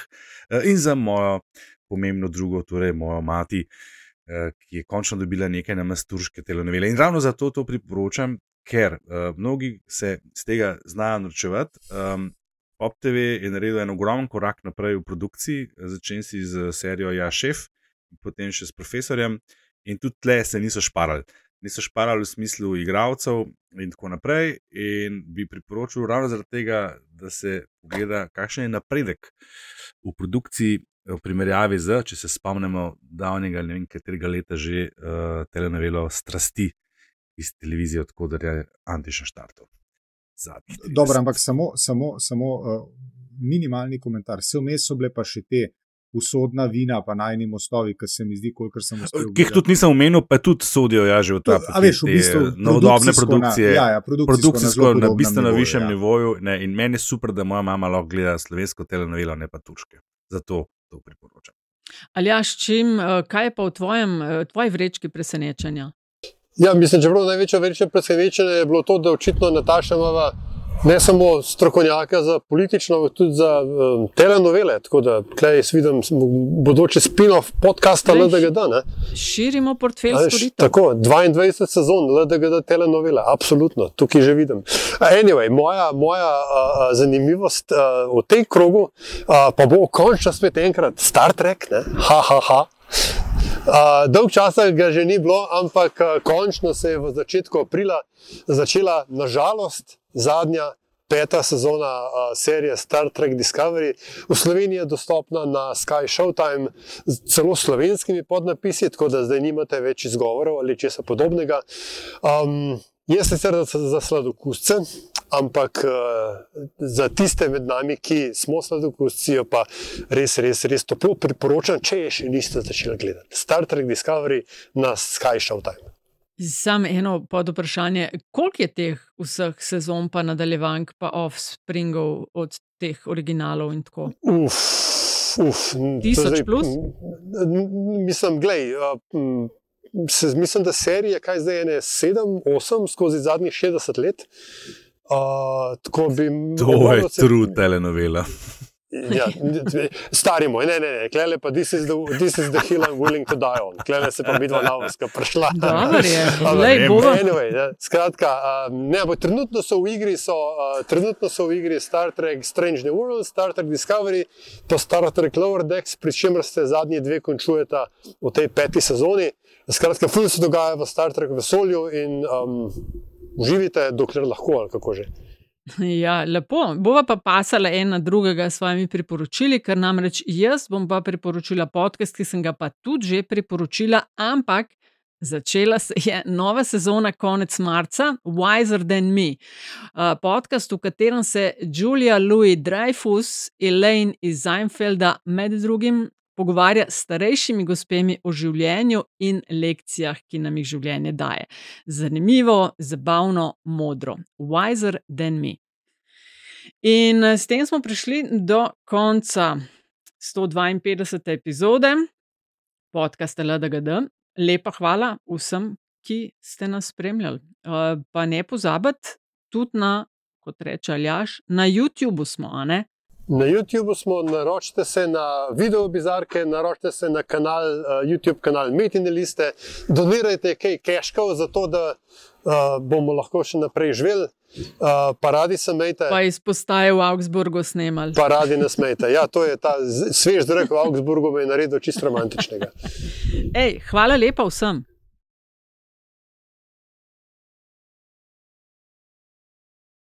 in za mojo pomembno drugo, torej mojo mati, ki je končno dobila nekaj namasturške telenovele. In ravno zato to priporočam, ker mnogi se z tega znajo norčevati. Pop TV je naredil en ogromen korak naprej v produkciji, začenši z serijo Ja, šef, potem še s Profesorjem, in tudi tle se niso šparali. Niso šparali v smislu igralcev in tako naprej, in bi priporočil ravno zaradi tega, da se pogleda, kakšen je napredek v produkciji v primerjavi z, če se spomnimo davnega, ne vem katerega leta že, telenovelo Strasti iz televizije, od koder je Antiša štartov. Dobro, ampak samo minimalni komentar. Vse vmes so bile pa še te Usodna vina, pa Najini mostovi, ki se mi zdi, kolikor sem uspel. Ki jih tudi nisem omenil, pa tudi sodijo že v ta novodobne produkcije. Produkcijsko na bistveno višjem nivoju. In meni je super, da moja mama lahko gleda slovensko telenovelo, ne pa turške. Zato to priporočam. Aljaž, kaj je pa v tvoji vrečki presenečenja? Ja, mislim, že največje presenečenje je bilo to, da očitno Nataša imava ne samo strokovnjaka za politično, ampak tudi za telenovele. Tako da tukaj jaz vidim bodoči spin-off podcasta LDGD. Širimo portfelj storitev. Tako, 22 sezon LDGD telenovele, absolutno, tukaj že vidim. Anyway, moja zanimivost v tej krogu pa bo končno spet enkrat Star Trek, Dolg časa ga že ni bilo, ampak končno se je v začetku aprila začela, nažalost, zadnja 5. sezona serije Star Trek Discovery. V Sloveniji je dostopna na Sky Showtime z celo slovenskimi podnapisi, tako da zdaj nimate več izgovorov ali česa podobnega. Je sicer za sladokusce, ampak za tiste med nami, ki smo sladokusci, pa res toplo priporočam, če je še niste začeli gledati. Star Trek Discovery na Sky Showtime. Samo eno podvprašanje, koliko je teh vseh sezon pa nadaljevank pa offspringov od teh originalov in tako? 1000 plus? Mislim, mislim, da serije, kaj zdaj ene 7-8 skozi zadnjih 60 let. To je true telenovela. Ja, stari moj, ne, klele pa this is the hill I'm willing to die on. Klele se pa midva navska prišla. Dobar je, anyway, skratka, trenutno so v igri Star Trek Strange New Worlds, Star Trek Discovery, to Star Trek Lower Decks, pri čemer se zadnji dve končujeta v tej 5. sezoni. Skratka, ful se dogaja v Star Trek vesolju in uživite, dokler lahko, ali kako že. Ja, lepo. Bova pa pasala en na drugega s svojimi priporočili, ker namreč jaz bom pa priporočila podcast, ki sem ga pa tudi že priporočila, ampak začela se je nova sezona konec marca, Wiser Than Me. Podcast, v katerem se Julia Louis-Dreyfus, Elaine iz Seinfelda med drugim pogovarja s starejšimi gospemi o življenju in lekcijah, ki nam jih življenje daje. Zanimivo, zabavno, modro. Wiser Than Me. In s tem smo prišli do konca 152. epizode podcasta LDGD. Lepa hvala vsem, ki ste nas spremljali. Pa ne pozabiti, tudi na, kot reče Aljaž, na YouTubeu smo, a ne? Na YouTubeu smo, naročite se na video bizarke, naročite se na YouTube kanal Metine liste, donirajte kaj keškov za to, da bomo lahko še naprej živeli. Pa radi se mejte. Pa iz postaje v Augsburgu snemali. Pa radi nas mejte. Ja, to je ta svež zrak v Augsburgu me je naredil čisto romantičnega. Hvala lepa vsem.